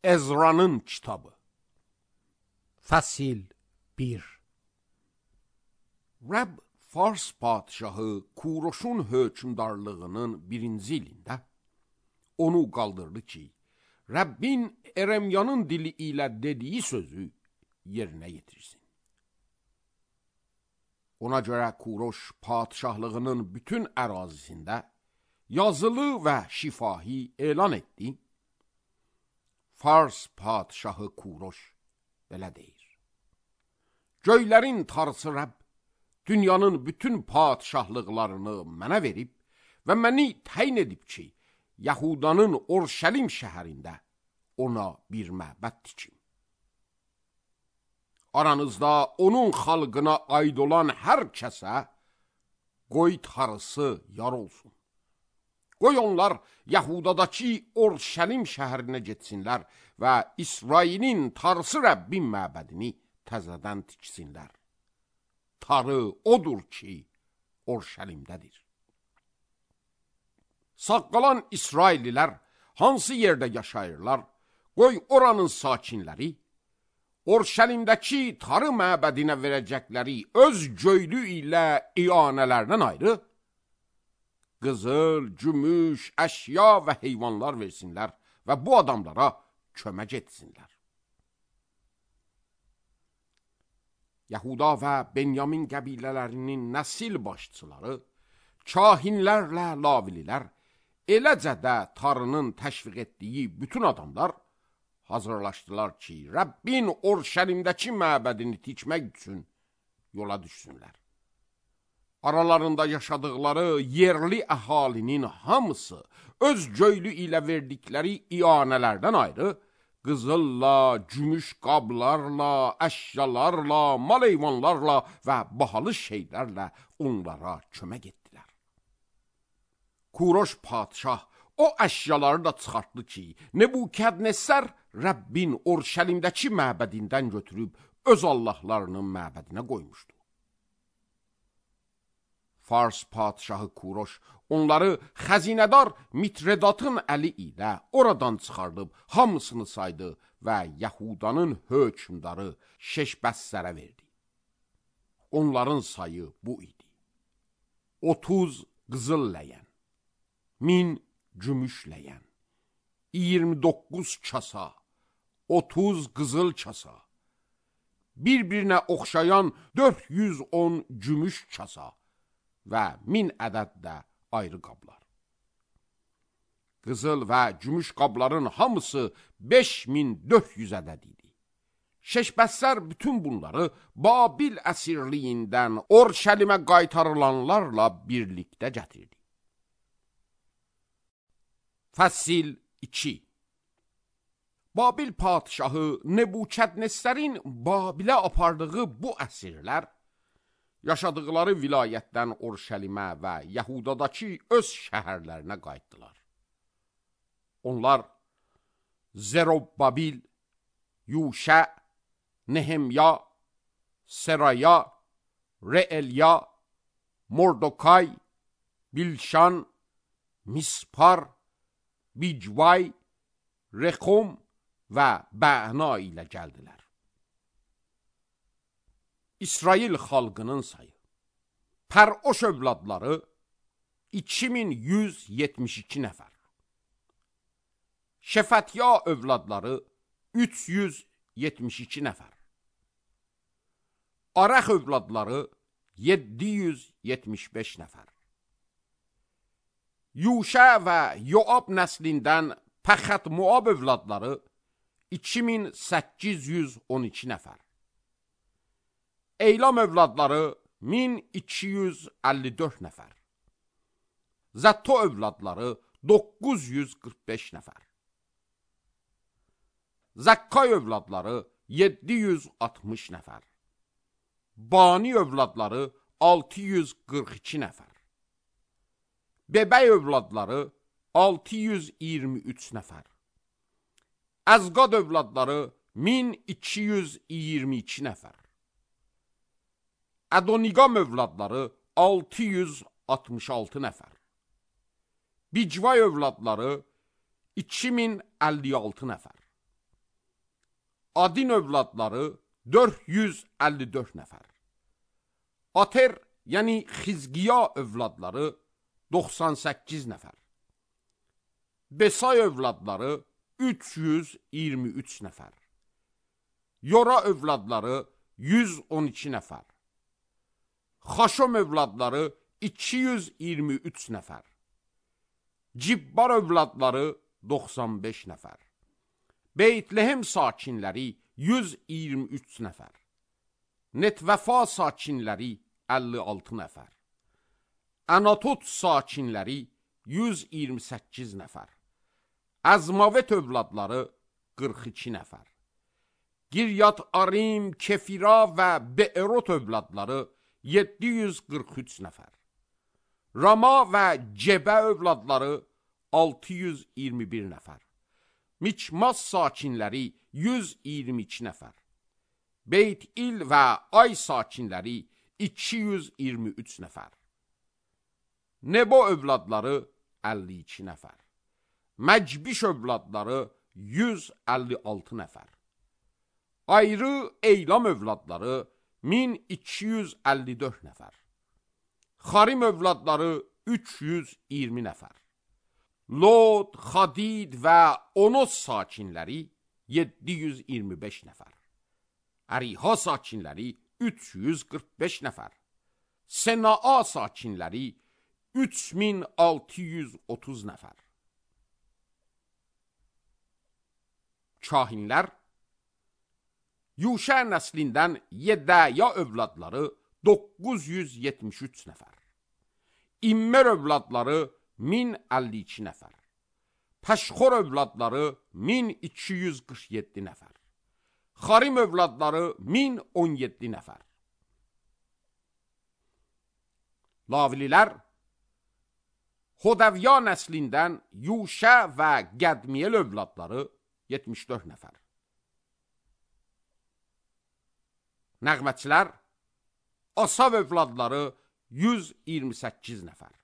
Ezra'nın kitabı. Fəsil 1. Rəbb Fars padişahı Kuroşun hökmdarlığının 1-ci ilində onu qaldırdı ki, Rəbbin Eremyanın dili ilə dediyi sözü yerinə yetirsin. Ona görə Kuroş padişahlığının bütün ərazisində yazılı və şifahi elan etdi. Fars padişahı Kuroş belə deyir: Göylərin tarısı Rəbb dünyanın bütün padişahlıqlarını mənə verib və məni təyin edib ki, Yahudanın Orşəlim şəhərində ona bir məbəd tikim. Aranızda onun xalqına aid olan hər kəsə qoy tarısı yar olsun. Qoy onlar Yahudadakı Orşəlim şəhərinə getsinlər və İsrailin tarısı Rəbbin məbədini təzədən tiksinlər. Tarı odur ki, Orşəlimdədir. Sağ qalan İsraillilər hansı yerdə yaşayırlar, qoy oranın sakinləri Orşəlimdəki tarı məbədinə verəcəkləri öz göylü ilə iyanələrdən ayrı qızıl, gümüş, əşya və heyvanlar versinlər və bu adamlara kömək etsinlər. Yahuda və Benyamin qəbilələrinin nəsil başçıları, kahinlərlə lavililər, eləcə də tarının təşviq etdiyi bütün adamlar hazırlaşdılar ki, Rəbbin Orşəlimdəki məbədini tikmək üçün yola düşsünlər. Aralarında yaşadıkları yerli əhalinin hamısı öz göylü ilə verdikləri iyanələrdən ayrı, qızılla, gümüş qablarla, əşyalarla, mal heyvanlarla və bahalı şeylərlə onlara kömək etdilər. Kuroş padişah o əşyaları da çıxartdı ki, Nebukadnezar Rəbbin Orşəlimdəki məbədindən götürüb öz allahlarının məbədinə qoymuşdu. Fars padişahı Kuroş onları xəzinədar Mitredatın əli ilə oradan çıxardıb hamısını saydı və Yahudanın hökmdarı Şeşbəssərə verdi. Onların sayı bu idi: 30 qızıl ləyən, 1000 gümüş ləyən, 29 kasa, 30 qızıl kasa, bir-birinə oxşayan 410 gümüş kasa və 1000 ədəd də ayrı qablar. Qızıl və gümüş qabların hamısı 5400 ədəd idi. Şeşbəssər bütün bunları Babil əsirliyindən Orşəlimə qaytarılanlarla birlikdə gətirdi. Fəsil 2. Babil padişahı Nebukadnezarın Babilə apardığı bu əsirlər yaşadıkları vilayətdən Orşəlimə və Yahudadakı öz şəhərlərinə qayıtdılar. Onlar Zerobbabil, Yuşə, Nehemya, Seraya, Reelya, Mordokay, Bilşan, Mispar, Bicvay, Rekom və Bəna ilə gəldilər. İsrail xalqının sayı: Pəroş övladları 2172 nəfər, Şefətya övladları 372 nəfər, Arax övladları 775 nəfər, Yuşə və Yoab nəslindən Pəxət Moab övladları 2812 nəfər, Eylam övladları 1254 nəfər, Zətto övladları 945 nəfər, Zəkkay övladları 760 nəfər, Bani övladları 642 nəfər, Bebəy övladları 623 nəfər, Əzqad övladları 1222 nəfər, Ədoniqam övladları 666 nəfər, Bicvay övladları 2056 nəfər, Adin övladları 454 nəfər. Ater, yəni Xizqiya övladları 98 nəfər. Besay övladları 323 nəfər. Yora övladları 112 nəfər. Xaşom övladları 223 nəfər. Cibbar övladları 95 nəfər. Beytlehem sakinləri 123 nəfər. Netvəfa sakinləri 56 nəfər. Anatot sakinləri 128 nəfər. Əzmavet övladları 42 nəfər. Giryat Arim, Kefira və Beerot övladları 743 nəfər. Rama və Cebə övladları 621 nəfər. Miçmas sakinləri 122 nəfər. Beyt-İl və Ay sakinləri 223 nəfər. Nebo övladları 52 nəfər. Məcbiş övladları 156 nəfər. Ayrı Eylam övladları 1254 nəfər. Xarim övladları 320 nəfər. Lod, Xadid və Onos sakinləri 725 nəfər. Əriha sakinləri 345 nəfər. Senaa sakinləri 3630 nəfər. Kahinlər Yuşə nəslindən Yedəya övladları 973 nəfər. İmmer övladları 1052 nəfər. Pəşxor övladları 1247 nəfər. Xarim övladları 1017 nəfər. Lavililər Hodəvya nəslindən Yuşə və Qədmiyel övladları 74 nəfər. Nəğmətçilər Asav övladları 128 nəfər.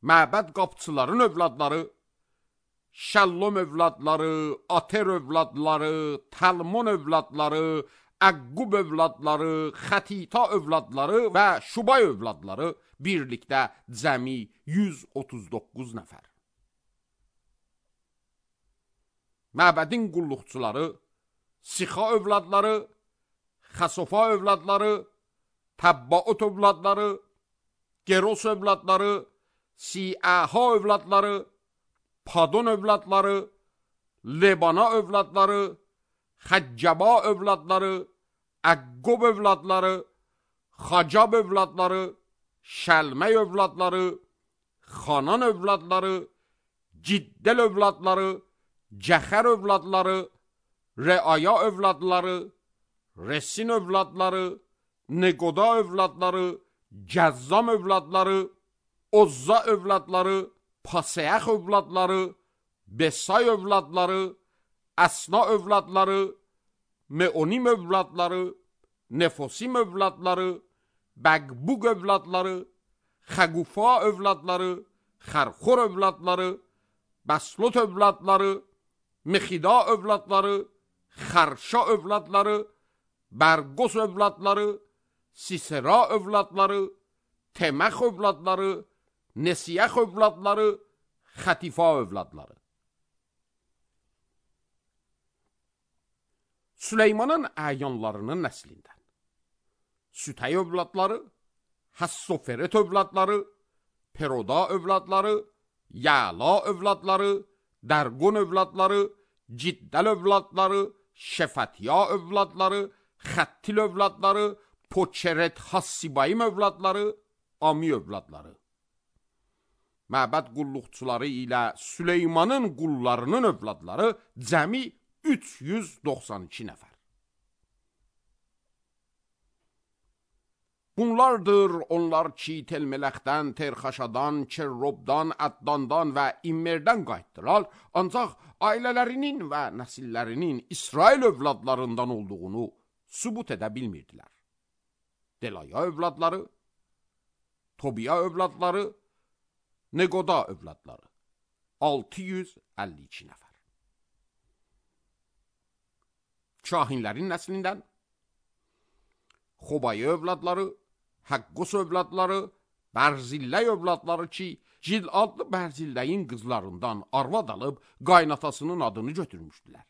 Məbəd qapçıların övladları Şəllom övladları, Ater övladları, Talmon övladları, Əqqub övladları, Xətita övladları və Şubay övladları birlikdə cəmi 139 nəfər. Məbədin qulluqçuları Sixa övladları, Xəsofa övladları, Təbbaot övladları, Geros övladları, Siəha övladları, Padon övladları, Lebana övladları, Xəccəba övladları, Əqqob övladları, Xacab övladları, Şəlmək övladları, Xanan övladları, Ciddəl övladları, Cəxər övladları, Reaya övladları, Resin övladları, Neqoda övladları, Cəzzam övladları, Ozza övladları, Paseəx övladları, Besay övladları, Əsna övladları, Meonim övladları, Nefosim övladları, Bəqbuq övladları, Xəqufa övladları, Xərxor övladları, Bəslot övladları, Mexida övladları, Xərşa övladları, Bərqos övladları, Sisera övladları, Teməx övladları, Nesiyəx övladları, Xətifa övladları. Süleymanın əyanlarının nəslindən Sütəy övladları, Həssoferet övladları, Peroda övladları, Yəla övladları, Dərqon övladları, Ciddəl övladları, Şefatiya övladları, Xəttil övladları, Poçeret Hassibayim övladları, Ami övladları. Məbəd qulluqçuları ilə Süleymanın qullarının övladları cəmi 392 nəfər. Bunlardır onlar ki, Telmələxdən, Terxaşadan, Kerrobdan, Əddandan və İmmerdən qayıtdılar, ancaq ailələrinin və nəsillərinin İsrail övladlarından olduğunu sübut edə bilmirdilər. Delaya övladları, Tobiya övladları, Neqoda övladları 652 nəfər. kahinlərin nəslindən Xobayı övladları, Həqqos övladları, Bərzillə övladları ki, Cil adlı Bərzilləyin qızlarından arvad alıb qaynatasının adını götürmüşdülər.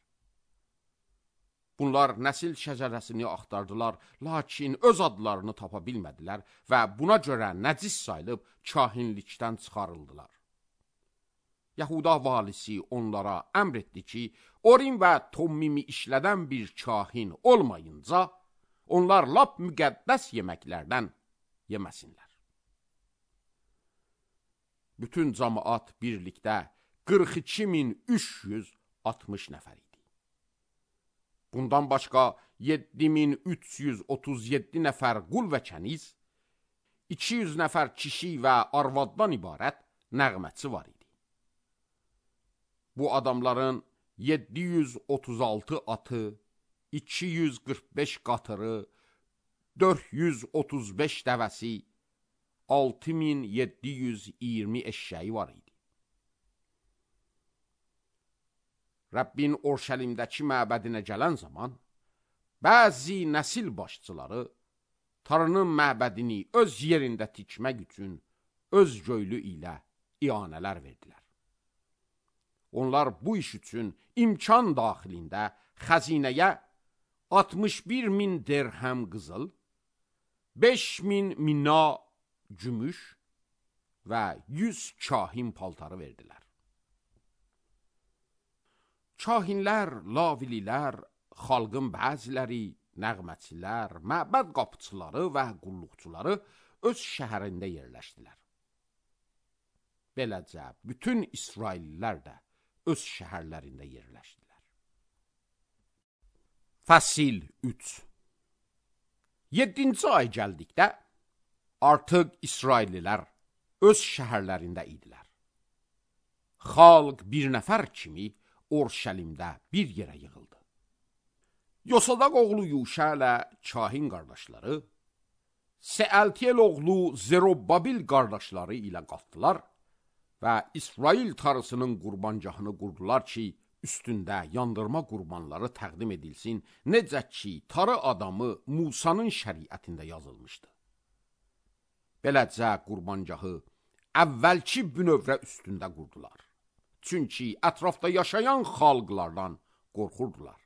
Bunlar nəsil şəcərəsini axtardılar, lakin öz adlarını tapa bilmədilər və buna görə nəcis sayılıb kahinlikdən çıxarıldılar. Yahuda valisi onlara əmr etdi ki, Orim və Tommimi işlədən bir kahin olmayınca, onlar lap müqəddəs yeməklərdən yeməsinlər. Bütün cəmaat birlikdə 42.360 nəfər idi. Bundan başqa 7.337 nəfər qul və kəniz, 200 nəfər kişi və arvaddan ibarət nəğməçi var idi. Bu adamların 736 atı, 245 qatırı, 435 dəvəsi, 6720 eşşəyi var idi. Rəbbin Orşəlimdəki məbədinə gələn zaman, bəzi nəsil başçıları Tanrının məbədini öz yerində tikmək üçün öz göylü ilə ianələr verdilər. Onlar bu iş üçün imkan daxilində xəzinəyə 61.000 dirhəm qızıl, 5.000 mina gümüş və 100 kahin paltarı verdilər. Kahinlər, lavililər, xalqın bəziləri, nəğməçilər, məbəd qapıçıları və qulluqçuları öz şəhərində yerləşdilər. Beləcə, bütün İsraillilər də öz şəhərlərində yerləşdilər. Fəsil 3. 7-ci ay gəldikdə, artıq İsraillilər öz şəhərlərində idilər. Xalq bir nəfər kimi Orşəlimdə bir yerə yığıldı. Yosadaq oğlu Yuşa ilə kahin qardaşları, Sealtiyel oğlu Zerobbabil qardaşları ilə qalxdılar və İsrail tarısının qurbancahını qurdular ki, üstündə yandırma qurbanları təqdim edilsin, necə ki, tarı adamı Musanın şəriətində yazılmışdı. Beləcə qurbancahı əvvəlki bünövrə üstündə qurdular. Çünki ətrafda yaşayan xalqlardan qorxurdular.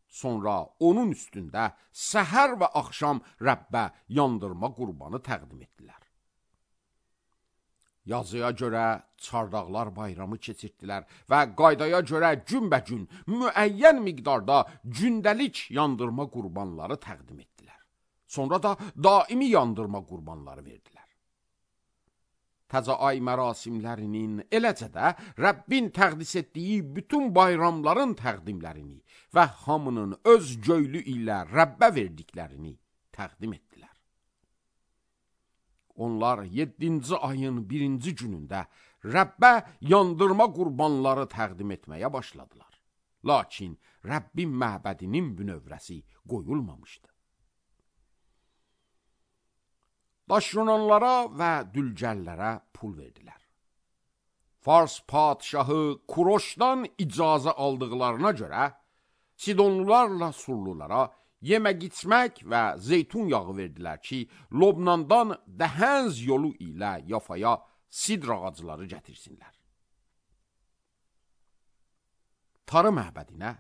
Sonra onun üstündə səhər və axşam Rəbbə yandırma qurbanı təqdim etdilər. Yazıya görə çardaqlar bayramı keçirdilər və qaydaya görə günbəgün müəyyən miqdarda gündəlik yandırma qurbanları təqdim etdilər. Sonra da daimi yandırma qurbanları verdilər. Təzə ay mərasimlərinin, eləcə də Rəbbin təqdis etdiyi bütün bayramların təqdimlərini və hamının öz göylü ilə Rəbbə verdiklərini təqdim etdilər. Onlar 7-ci ayın 1-ci günündə Rəbbə yandırma qurbanları təqdim etməyə başladılar. Lakin Rəbbin məbədinin bünövrəsi qoyulmamışdı. Daşyonanlara və dülgərlərə pul verdilər. Fars padişahı Kuroşdan icazə aldıqlarına görə Sidonlularla Surlulara yemək içmək və zeytun yağı verdilər ki, Lobnandan Dəhənz yolu ilə Yafaya sidr ağacları gətirsinlər. Tarı məbədinə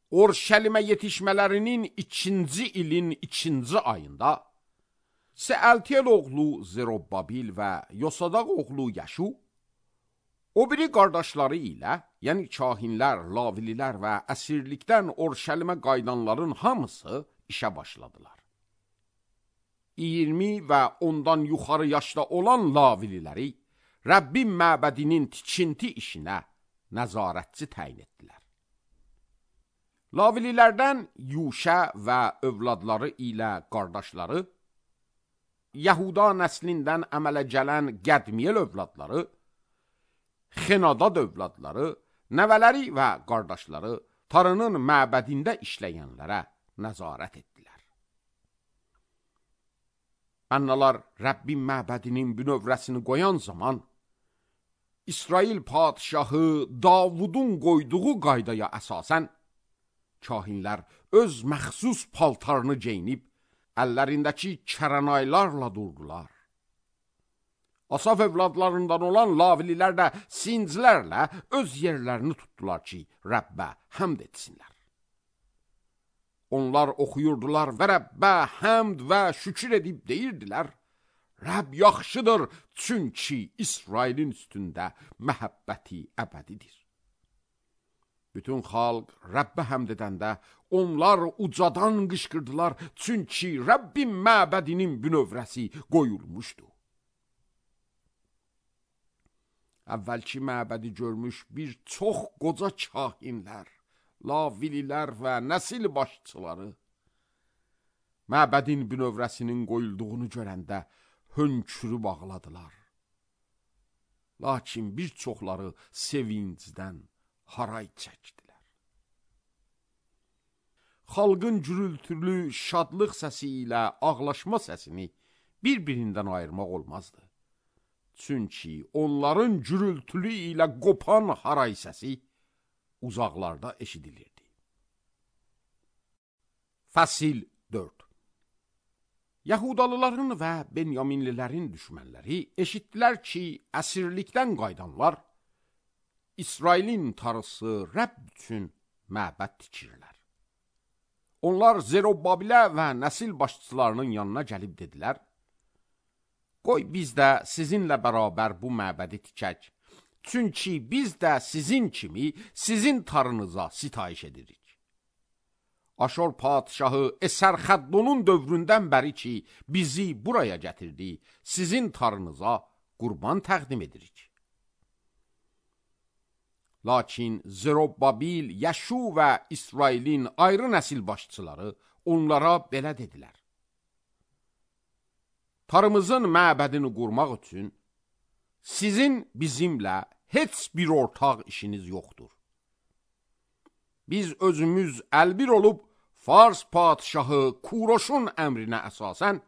Orşəlimə yetişmələrinin 2-ci ilin 2-ci ayında Sealtiyel oğlu Zerobbabil və Yosadaq oğlu Yaşu, o biri qardaşları ilə, yəni kahinlər, lavililər və əsirlikdən Orşəlimə qayıdanların hamısı işə başladılar. 20 və ondan yuxarı yaşda olan lavililəri Rəbbin məbədinin tikinti işinə nəzarətçi təyin etdilər. Lavililərdən Yuşa və övladları ilə qardaşları, Yahuda nəslindən əmələ gələn Qədmiyel övladları, Xenadad övladları, nəvələri və qardaşları Tanrının məbədində işləyənlərə nəzarət etdilər. Annalar Rəbbin məbədinin bünövrəsini qoyan zaman, İsrail padişahı Davudun qoyduğu qaydaya əsasən, Kahinlər öz məxsus paltarını geyinib, əllərindəki kərənaylarla durdular. Asaf evladlarından olan lavililər də sincilərlə öz yerlərini tutdular ki, Rəbbə həmd etsinlər. Onlar oxuyurdular və Rəbbə həmd və şükür edib deyirdilər, Rəbb yaxşıdır, çünki İsrailin üstündə məhəbbəti əbədidir. Bütün xalq Rəbbə həmd edəndə onlar ucadan qışqırdılar, çünki Rəbbin məbədinin bünövrəsi qoyulmuşdu. Əvvəlki məbədi görmüş bir çox qoca kahinlər, lavililər və nəsil başçıları məbədin bünövrəsinin qoyulduğunu görəndə hönkürüb ağladılar. Lakin bir çoxları sevincdən haray çəkdilər. Xalqın gürültülü şadlıq səsi ilə ağlaşma səsini bir-birindən ayırmaq olmazdı. Çünki onların gürültülü ilə qopan haray səsi uzaqlarda eşidilirdi. Fəsil 4. Yahudalıların və Benyaminlilərin düşmənləri eşitdilər ki, əsirlikdən qaydanlar İsrailin tarısı Rəbb üçün məbəd tikirlər. Onlar Zerubabilə və nəsil başçılarının yanına gəlib dedilər, qoy biz də sizinlə bərabər bu məbədi tikək, çünki biz də sizin kimi sizin tarınıza sitayiş edirik. Aşor padişahı Əsərxəddonun dövründən bəri ki, bizi buraya gətirdi, sizin tarınıza qurban təqdim edirik. Lakin Zerubabil, Yəşu və İsrailin ayrı nəsil başçıları onlara belə dedilər. Tarımızın məbədini qurmaq üçün sizin bizimlə heç bir ortaq işiniz yoxdur. Biz özümüz əlbir olub Fars padişahı Kuroşun əmrinə əsasən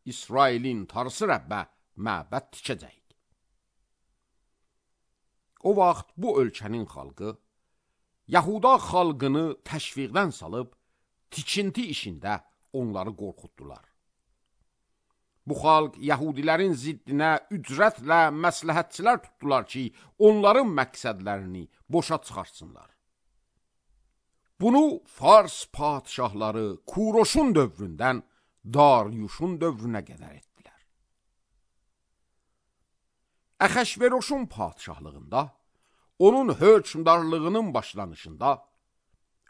İsrailin tarısı Rəbbə məbəd tikəcəyik. O vaxt bu ölkənin xalqı Yahuda xalqını təşviqdən salıb tikinti işində onları qorxutdular. Bu xalq Yahudilərin ziddinə ücrətlə məsləhətçilər tutdular ki, onların məqsədlərini boşa çıxarsınlar. Bunu Fars padişahları Kuroşun dövründən Daryuşun dövrünə qədər etdilər. Əhəşveroşun padişahlığında, onun hökmdarlığının başlanışında,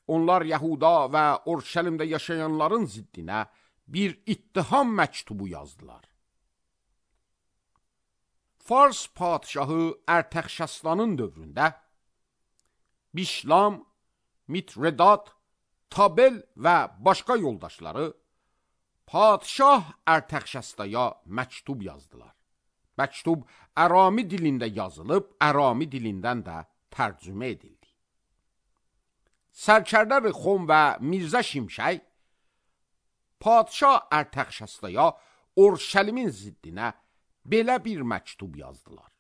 onlar Yahuda və Orşəlimdə yaşayanların ziddinə bir ittiham məktubu yazdılar. Fars padişahı Ərtəxşəslanın dövründə Bişlam, Mitredat, Tabel və başqa yoldaşları padişah Ərtəxşəstaya məktub yazdılar. Məktub Ərami dilində yazılıb, Ərami dilindən də tərcümə edildi. Sərkərdə Rixon və Mirzə Şimşək padişah Ərtəxşəstaya Orşəlimin ziddinə belə bir məktub yazdılar.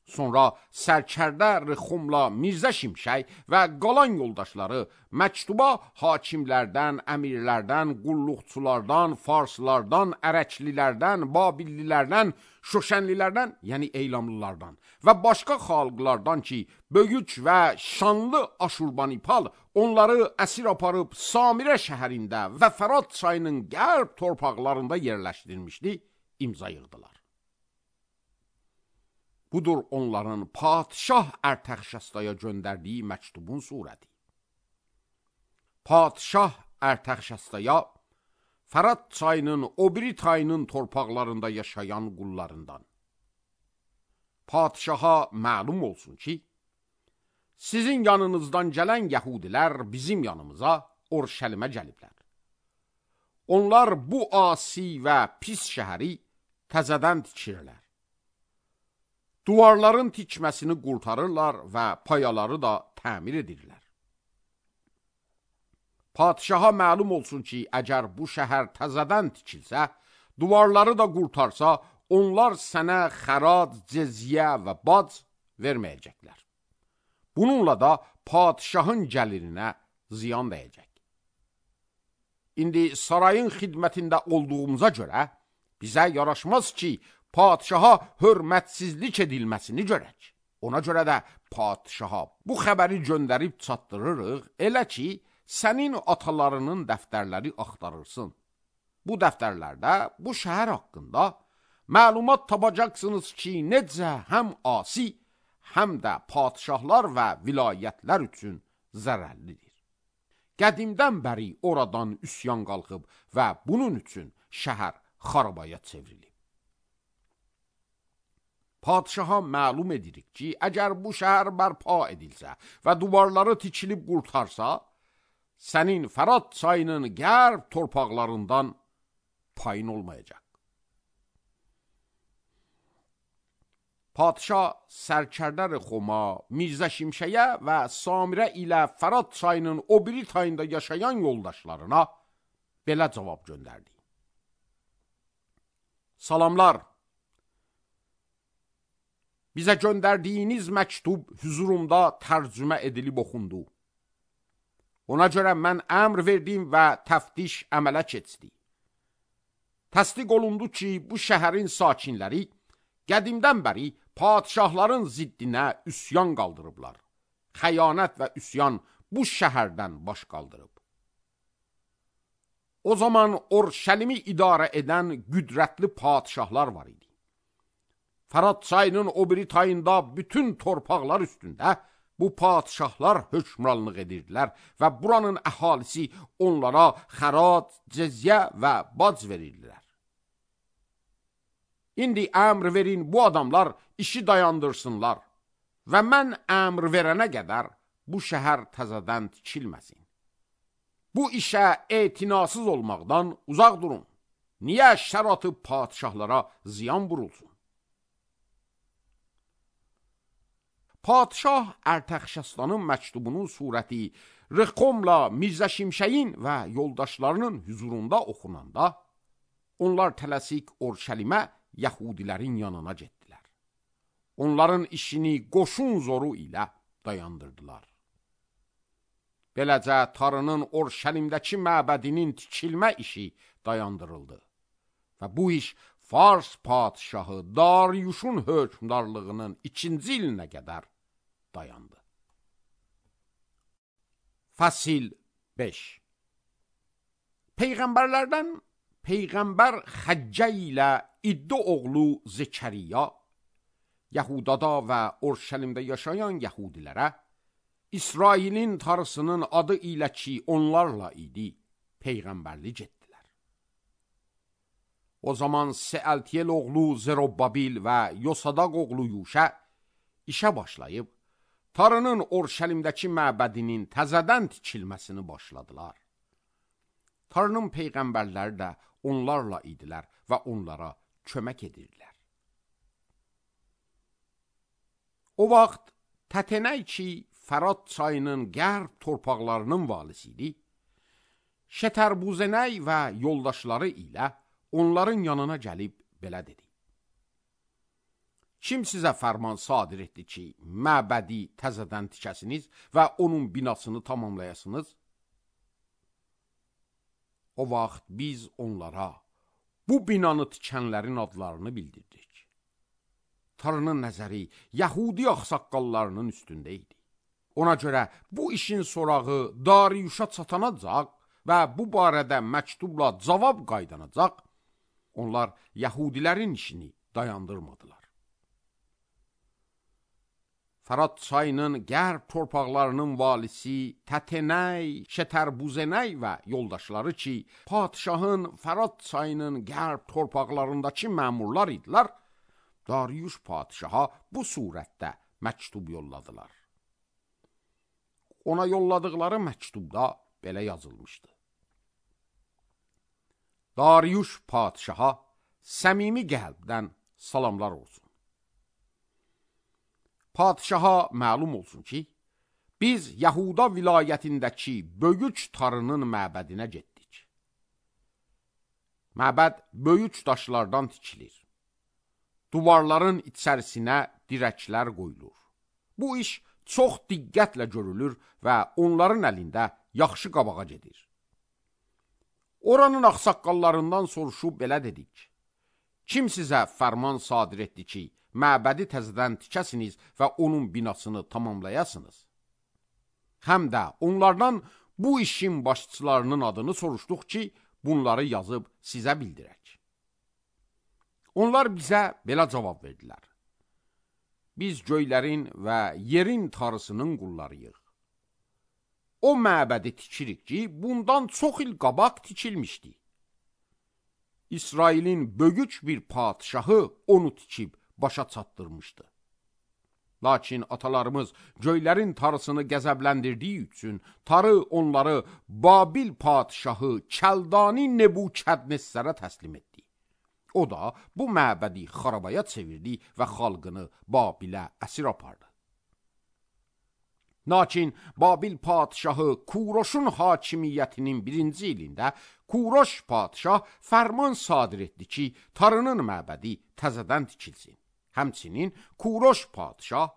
Sonra sərkərdə Rixumla Mirzə Şimşək və qalan yoldaşları məktuba hakimlərdən, əmirlərdən, qulluqçulardan, farslardan, ərəklilərdən, babillilərdən, şoşənlilərdən, yəni eylamlılardan və başqa xalqlardan ki, böyük və şanlı Aşurbanipal onları əsir aparıb Samirə şəhərində və Fərat çayının qərb torpaqlarında yerləşdirmişdi, imza yığdılar. Budur onların padişah Ərtəxşəstaya göndərdiyi məktubun surəti. Padişah Ərtəxşəstaya Fərat çayının o biri tayının torpaqlarında yaşayan qullarından. Padişaha məlum olsun ki, sizin yanınızdan gələn yəhudilər bizim yanımıza Orşəlimə gəliblər. Onlar bu asi və pis şəhəri təzədən tikirlər. Duvarların tikməsini qurtarırlar və payaları da təmir edirlər. Padişaha məlum olsun ki, əgər bu şəhər təzədən tikilsə, duvarları da qurtarsa, onlar sənə xərac, cezyə və bac verməyəcəklər. Bununla da padişahın gəlirinə ziyan dəyəcək. İndi sarayın xidmətində olduğumuza görə bizə yaraşmaz ki, padişaha hörmətsizlik edilməsini görək. Ona görə də padişaha bu xəbəri göndərib çatdırırıq, elə ki, sənin atalarının dəftərləri axtarırsın. Bu dəftərlərdə bu şəhər haqqında məlumat tapacaqsınız ki, necə həm asi, həm də padişahlar və vilayətlər üçün zərərlidir. Qədimdən bəri oradan üsyan qalxıb və bunun üçün şəhər xarabaya çevrilib. Padişaha məlum edirik ki, əgər bu şəhər bərpa edilsə və duvarları tikilib qurtarsa, sənin Fərat çayının qərb torpaqlarından payın olmayacaq. Padişah sərkərdər Xoma, Mirzə Şimşəyə və Samirə ilə Fərat çayının o biri tayında yaşayan yoldaşlarına belə cavab göndərdi. Salamlar, bizə göndərdiyiniz məktub hüzurumda tərcümə edilib oxundu. Ona görə mən əmr verdim və təftiş əmələ keçdi. Təsdiq olundu ki, bu şəhərin sakinləri qədimdən bəri padişahların ziddinə üsyan qaldırıblar. Xəyanət və üsyan bu şəhərdən baş qaldırıb. O zaman Orşəlimi idarə edən qüdrətli padişahlar var idi. Fərat çayının o biri tayında bütün torpaqlar üstündə bu padişahlar hökmranlıq edirdilər və buranın əhalisi onlara xərac, cizyə və bac verirdilər. İndi əmr verin, bu adamlar işi dayandırsınlar və mən əmr verənə qədər bu şəhər təzədən tikilməsin. Bu işə etinasız olmaqdan uzaq durun. Niyə şər atıb padişahlara ziyan vurulsun? Padişah Ərtəxşəstanın məktubunun surəti Rıxomla Mirzə Şimşəyin və yoldaşlarının hüzurunda oxunanda, onlar tələsik Orşəlimə Yahudilərin yanına getdilər. Onların işini qoşun zoru ilə dayandırdılar. Beləcə Tarının Orşəlimdəki məbədinin tikilmə işi dayandırıldı və bu iş Fars padişahı Dariyuşun hökmdarlığının 2-ci ilinə qədər dayandı. Fəsil 5. Peyğəmbərlərdən Peyğəmbər Xəccə ilə İddə oğlu Zekəriya, Yahudada və Orşəlimdə yaşayan Yahudilərə, İsrailin tarısının adı ilə ki onlarla idi, Peyğəmbərlik etdilər. O zaman Seəltiyel oğlu Zerobbabil və Yosadaq oğlu Yuşə işə başlayıb, tarının Orşəlimdəki məbədinin təzədən tikilməsini başladılar. Tarının peyğəmbərləri də onlarla idilər və onlara kömək edirdilər. O vaxt Tətenəy ki, Fərat çayının qərb torpaqlarının valisi idi, Şətərbuzenəy və yoldaşları ilə onların yanına gəlib belə dedi. Kim sizə fərman sadir etdi ki, məbədi təzədən tikəsiniz və onun binasını tamamlayasınız? O vaxt biz onlara bu binanı tikənlərin adlarını bildirdik. Tarının nəzəri Yahudi axsaqqallarının üstündə idi. Ona görə bu işin sorağı Dariyuşa çatanacaq və bu barədə məktubla cavab qaydanacaq, onlar Yahudilərin işini dayandırmadılar. Fərat çayının qərb torpaqlarının valisi Tətenəy, Şətərbuzenəy və yoldaşları ki, padişahın Fərat çayının qərb torpaqlarındakı məmurlar idilər, Dariyuş padişaha bu surətdə məktub yolladılar. Ona yolladıqları məktubda belə yazılmışdı. Dariyuş padişaha səmimi qəlbdən salamlar olsun. Padişaha məlum olsun ki, biz Yahuda vilayətindəki böyük tarının məbədinə getdik. Məbəd böyük daşlardan tikilir. Duvarların içərisinə dirəklər qoyulur. Bu iş çox diqqətlə görülür və onların əlində yaxşı qabağa gedir. Oranın ağsaqqallarından soruşub belə dedik: kim sizə fərman sadir etdi ki, məbədi təzədən tikəsiniz və onun binasını tamamlayasınız? Həm də onlardan bu işin başçılarının adını soruşduq ki, bunları yazıb sizə bildirək. Onlar bizə belə cavab verdilər: biz göylərin və yerin tarısının qullarıyıq. O məbədi tikirik ki, bundan çox il qabaq tikilmişdi. İsrailin böyük bir padişahı onu tikib başa çatdırmışdı. Lakin atalarımız göylərin tarısını qəzəbləndirdiyi üçün tarı onları Babil padişahı Kəldani Nebukadnessərə təslim etdi. O da bu məbədi xarabaya çevirdi və xalqını Babilə əsir apardı. Lakin Babil padişahı Kuroşun hakimiyyətinin 1-ci ilində Kuroş padişah fərman sadir etdi ki, tarının məbədi təzədən tikilsin. Həmçinin Kuroş padişah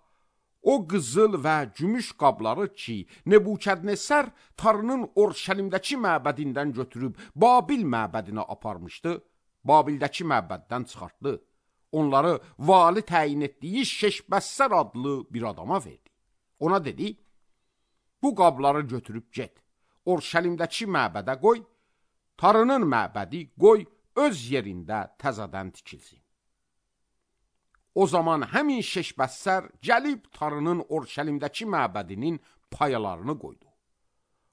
o qızıl və gümüş qabları ki, Nebukadnessər tarının Orşəlimdəki məbədindən götürüb Babil məbədinə aparmışdı, Babildəki məbəddən çıxartdı. Onları vali təyin etdiyi Şeşbəssər adlı bir adama verdi. Ona dedi: bu qabları götürüb get, Orşəlimdəki məbədə qoy, tarının məbədi qoy öz yerində təzədən tikilsin. O zaman həmin Şeşbəssər gəlib tarının Orşəlimdəki məbədinin payalarını qoydu.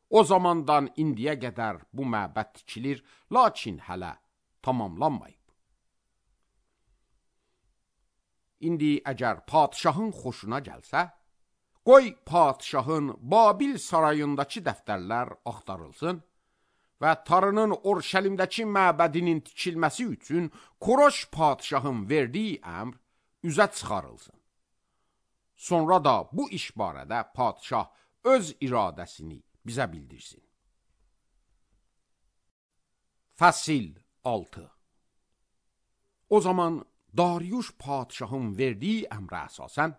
O zamandan indiyə qədər bu məbəd tikilir, lakin hələ tamamlanmayıb. İndi əgər padişahın xoşuna gəlsə, qoy padişahın Babil sarayındakı dəftərlər axtarılsın və tarının Orşəlimdəki məbədinin tikilməsi üçün Kuroş padişahın verdiyi əmr üzə çıxarılsın. Sonra da bu iş barədə padişah öz iradəsini bizə bildirsin. Fəsil 6. O zaman Dariuş padişahın verdiyi əmrə əsasən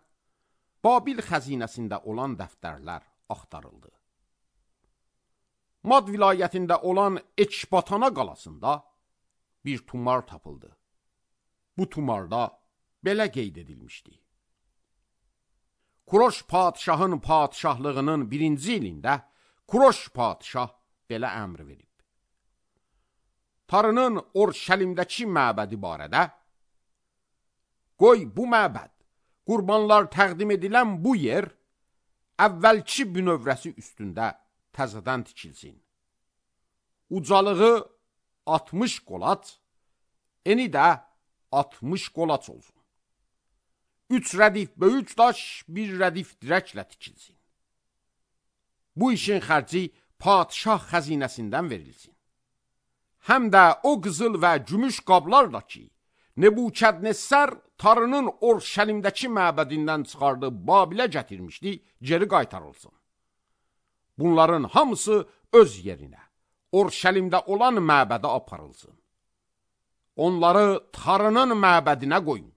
Babil xəzinəsində olan dəftərlər axtarıldı. Mad vilayətində olan Ekbatana qalasında bir tumar tapıldı. Bu tumarda belə qeyd edilmişdi: Kuroş padişahın padişahlığının 1-ci ilində Kuroş padişah belə əmr verib: tarının Orşəlimdəki məbədi barədə, qoy bu məbəd, qurbanlar təqdim edilən bu yer əvvəlki bünövrəsi üstündə təzədən tikilsin. Ucalığı 60 qolaç, eni də 60 qolaç olsun. 3 rədif böyük daş, 1 rədif dirəklə tikilsin. Bu işin xərci padişah xəzinəsindən verilsin. Həm də o qızıl və gümüş qablarla ki, Nebukadnessər tarının Orşəlimdəki məbədindən çıxardıb Babilə gətirmişdi, geri qaytarılsın. Bunların hamısı öz yerinə, Orşəlimdə olan məbədə aparılsın. Onları tarının məbədinə qoyun.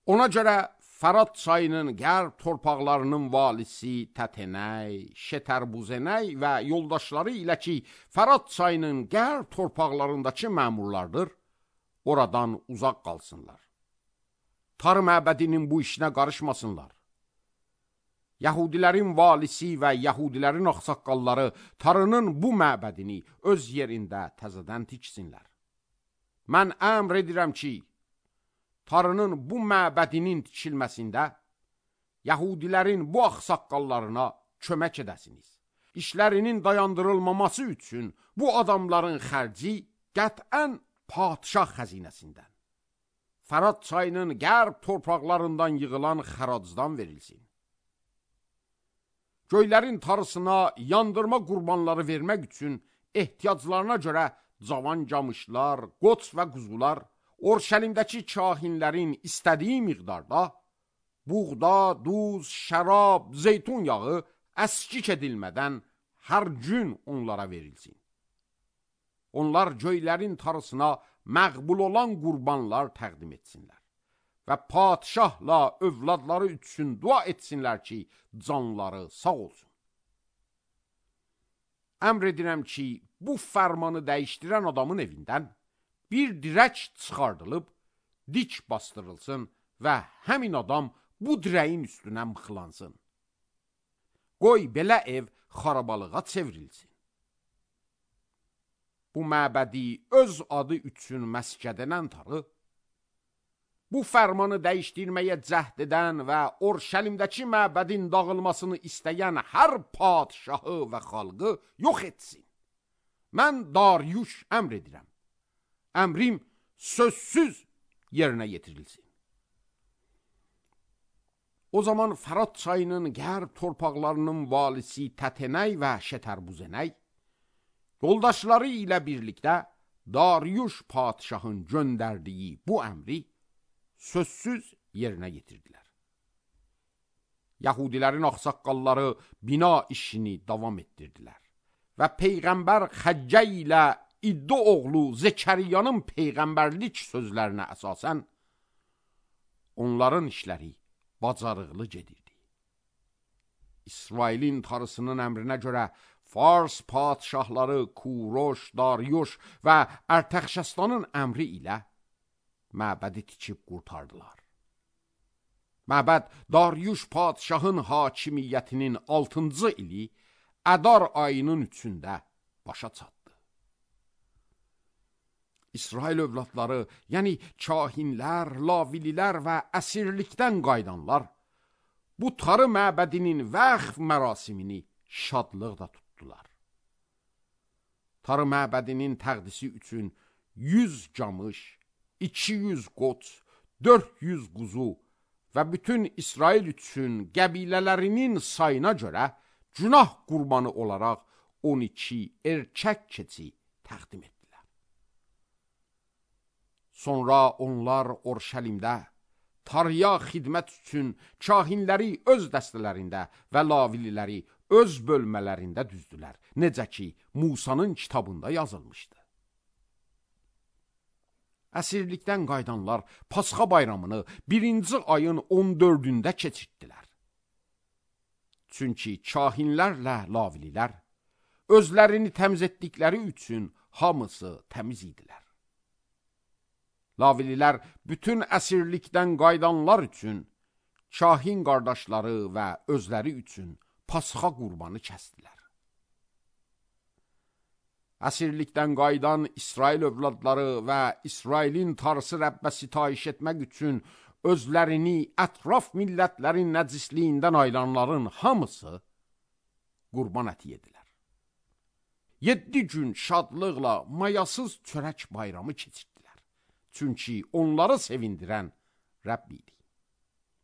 Ona görə Fərat çayının qərb torpaqlarının valisi Tətenəy, Şetərbuzenəy və yoldaşları ilə ki, Fərat çayının qərb torpaqlarındakı məmurlardır, oradan uzaq qalsınlar. Tar məbədinin bu işinə qarışmasınlar. Yahudilərin valisi və Yahudilərin ağsaqqalları tarının bu məbədini öz yerində təzədən tiksinlər. Mən əmr edirəm ki, tarının bu məbədinin tikilməsində Yahudilərin bu ağsaqqallarına kömək edəsiniz. İşlərinin dayandırılmaması üçün bu adamların xərci qətən padişah xəzinəsindən, Fərat çayının qərb torpaqlarından yığılan xəracdan verilsin. Göylərin tarısına yandırma qurbanları vermək üçün ehtiyaclarına görə cavan camışlar, qoç və quzular, Orşəlimdəki kahinlərin istədiyi miqdarda buğda, duz, şərab, zeytun yağı əskik edilmədən hər gün onlara verilsin. Onlar göylərin tarısına məqbul olan qurbanlar təqdim etsinlər. və padişahla övladları üçün dua etsinlər ki, canları sağ olsun. Əmr edirəm ki, bu fərmanı dəyişdirən adamın evindən bir dirək çıxardılıb, dik bastırılsın və həmin adam bu dirəyin üstünə mıxlansın. Qoy belə ev xarabalığa çevrilsin. Bu məbədi öz adı üçün məscid edən tarı, bu fərmanı dəyişdirməyə cəhd edən və Orşəlimdəki məbədin dağılmasını istəyən hər padişahı və xalqı yox etsin. Mən Dariuş əmr edirəm. Əmrim sözsüz yerinə yetirilsin. O zaman Fərat çayının qərb torpaqlarının valisi Tətenəy və Şətərbuzənəy yoldaşları ilə birlikdə Dariuş padişahın göndərdiyi bu əmri sözsüz yerinə yetirdilər. Yahudilərin ağsaqqalları bina işini davam etdirdilər və Peyğəmbər Xəccə ilə İddo oğlu Zekəriyanın peyğəmbərlik sözlərinə əsasən onların işləri bacarıqlı gedirdi. İsrailin tarısının əmrinə görə Fars padişahları Kuroş, Dariuş və Ərtəxşəstanın əmri ilə məbədi tikib qurtardılar. Məbəd Dariuş padişahın hakimiyyətinin 6-cı ili Ədar ayının 3-də başa çatdı. İsrail övladları, yəni kahinlər, lavililər və əsirlikdən qaydanlar bu tarı məbədinin vəqf mərasimini şadlıqla tutdular. Tarı məbədinin təqdisi üçün 100 camış, 200 qoç, 400 quzu və bütün İsrail üçün qəbilələrinin sayına görə günah qurbanı olaraq 12 erkək keçi təqdim etdilər. Sonra onlar Orşəlimdə tarıya xidmət üçün kahinləri öz dəstələrində və lavililəri öz bölmələrində düzdülər. Necə ki, Musanın kitabında yazılmışdı. Əsirlikdən qaydanlar Pasxa bayramını 1-ci ayın 14-də keçirtdilər. Çünki kahinlərlə lavililər özlərini təmiz etdikləri üçün hamısı təmiz idilər. Lavililər bütün əsirlikdən qaydanlar üçün, kahin qardaşları və özləri üçün Pasxa qurbanı kəsdilər. Əsirlikdən qaydan İsrail övladları və İsrailin tarısı Rəbbə sitayiş etmək üçün özlərini ətraf millətlərin nəcisliyindən ayıranların hamısı qurban əti yedilər. 7 gün şadlıqla mayasız çörək bayramı keçirtdilər. Çünki onları sevindirən Rəbb idi.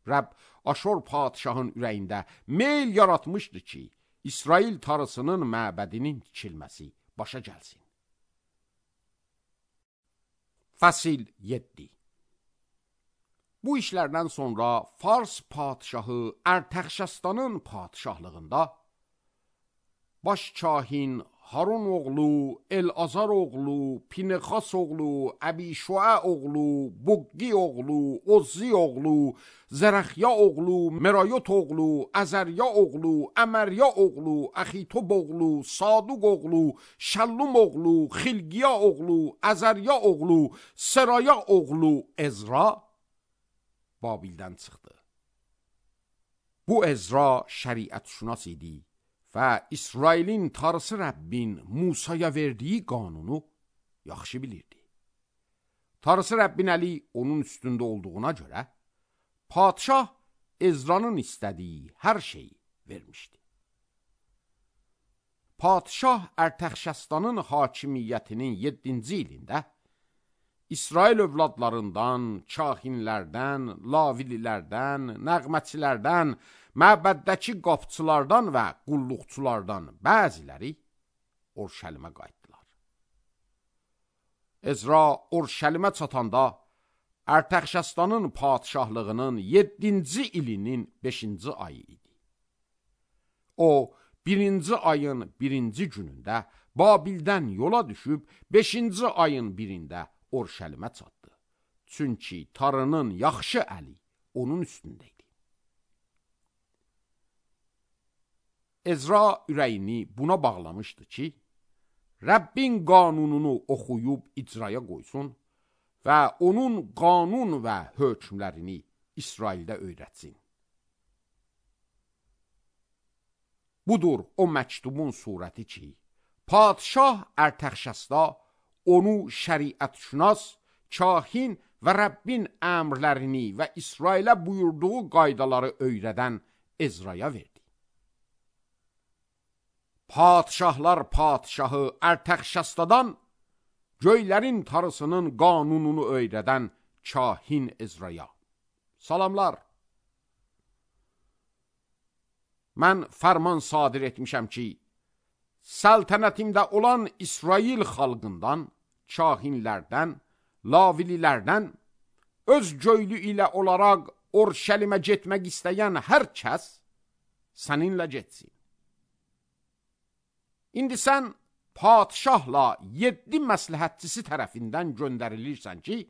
Rəbb Aşor padişahın ürəyində meyl yaratmışdı ki, İsrail tarısının məbədinin tikilməsi başa gəlsin. Fəsil 7. Bu işlərdən sonra Fars padişahı Ərtəxşəstanın padişahlığında baş kahin Harun oğlu, El-Azar oğlu, Pinexas oğlu, Əbişua oğlu, Buqqi oğlu, Ozzi oğlu, Zərəxya oğlu, Merayot oğlu, Əzərya oğlu, Əmərya oğlu, Əxitob oğlu, Saduq oğlu, Şəllum oğlu, Xilqiya oğlu, Əzərya oğlu, Seraya oğlu Ezra Babildən çıxdı. Bu Ezra şəriət-şünas idi və İsrailin tarısı Rəbbin Musaya verdiyi qanunu yaxşı bilirdi. Tarısı Rəbbin əli onun üstündə olduğuna görə, padişah Ezra'nın istədiyi hər şeyi vermişdi. Padişah Ərtəxşəstanın hakimiyyətinin 7-ci ilində İsrail övladlarından, kahinlərdən, lavililərdən, nəğməçilərdən, məbəddəki qapçılardan və qulluqçulardan bəziləri Orşəlimə qayıtdılar. Ezra Orşəlimə çatanda Ərtəxşəstanın padişahlığının 7-ci ilinin 5-ci ayı idi. O, 1-ci ayın 1-ci günündə Babildən yola düşüb 5-ci ayın 1-də Orşəlimə çatdı. Çünki Tanrının yaxşı əli onun üstündə idi. Ezra ürəyini buna bağlamışdı ki, Rəbbin qanununu oxuyub icraya qoysun və onun qanun və hökmlərini İsraildə öyrətsin. Budur o məktubun surəti ki, padşah Ərtəxşəsta onu şəriətşünas, kahin və Rəbbin əmrlərini və İsrailə buyurduğu qaydaları öyrədən Ezraya verdi. Padşahlar padşahı Ərtəxşəstadan göylərin Tanrısının qanununu öyrədən kahin Ezraya. Salamlar. Mən fərman sadir etmişəm ki, səltənətimdə olan İsrail xalqından, kahinlərdən, lavililərdən, öz göylü ilə olaraq Orşəlimə getmək istəyən hər kəs səninlə getsin. İndi sən padşahla 7 məsləhətçisi tərəfindən göndərilirsən ki,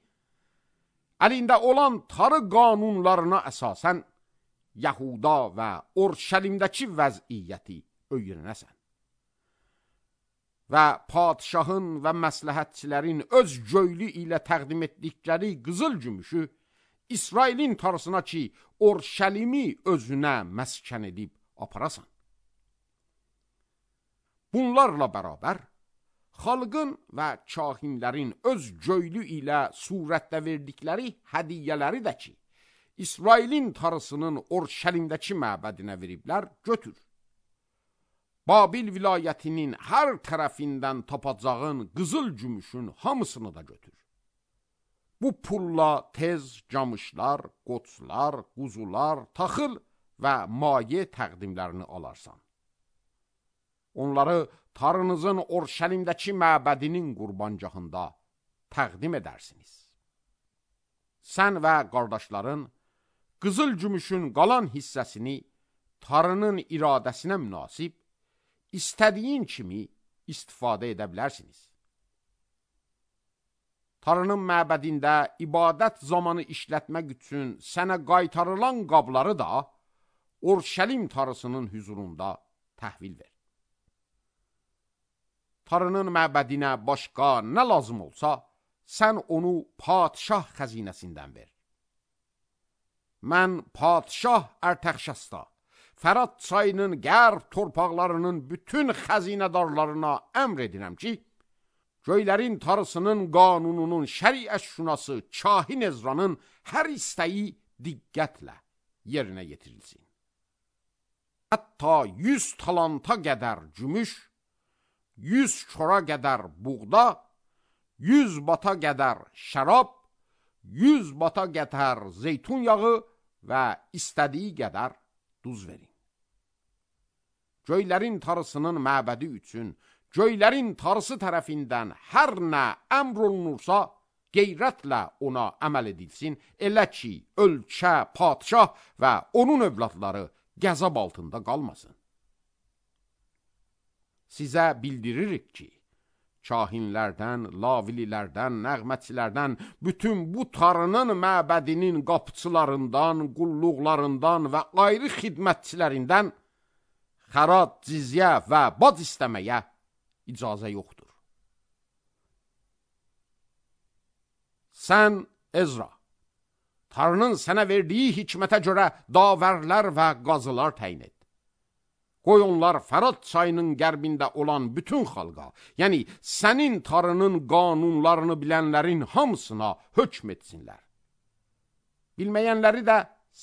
əlində olan Tanrı qanunlarına əsasən Yahuda və Orşəlimdəki vəziyyəti öyrənəsən. Və padşahın və məsləhətçilərin öz göylü ilə təqdim etdikləri qızıl gümüşü İsrailin Tanrısına ki, Orşəlimi özünə məskən edib aparasan. Bunlarla bərabər, xalqın və kahinlərin öz göylü ilə surətdə verdikləri hədiyyələri də ki, İsrailin Tanrısının Orşəlimdəki məbədinə veriblər, götür. Babil vilayətinin hər tərəfindən tapacağın qızıl gümüşün hamısını da götür. Bu pulla tez camışlar, qoçlar, quzular, taxıl və maye təqdimlərini alarsan. Onları Tanrınızın Orşəlimdəki məbədinin qurbancağında təqdim edərsiniz. Sən və qardaşların qızıl gümüşün qalan hissəsini Tanrının iradəsinə münasib istədiyin kimi istifadə edə bilərsiniz. Tanrının məbədində ibadət zamanı işlətmək üçün sənə qaytarılan qabları da Orşəlim Tanrısının hüzurunda təhvil ver. Tanrının məbədinə başqa nə lazım olsa, sən onu padşah xəzinəsindən ver. Mən padşah Ərtəxşəsta, Fərat çayının qərb torpaqlarının bütün xəzinədarlarına əmr edirəm ki, göylərin Tanrısının qanununun şəriətşünası kahin Ezranın hər istəyi diqqətlə yerinə yetirilsin. Hətta 100 talanta qədər gümüş, 100 çora qədər buğda, 100 bata qədər şərab, 100 bata qədər zeytun yağı və istədiyi qədər duz verin. Göylərin Tanrısının məbədi üçün göylərin Tanrısı tərəfindən hər nə əmr olunursa, qeyrətlə ona əməl edilsin, elə ki, ölkə, padşah və onun övladları qəzab altında qalmasın. Sizə bildiririk ki, kahinlərdən, lavililərdən, nəğmətçilərdən, bütün bu Tanrının məbədinin qapıçılarından, qulluqlarından və ayrı xidmətçilərindən xərat, cizyə və bac istəməyə icazə yoxdur. Sən, Ezra, Tanrının sənə verdiyi hikmətə görə davərlər və qazılar təyin et. Qoy onlar Fərat çayının qərbində olan bütün xalqa, yəni sənin Tanrının qanunlarını bilənlərin hamısına hökm etsinlər. Bilməyənləri də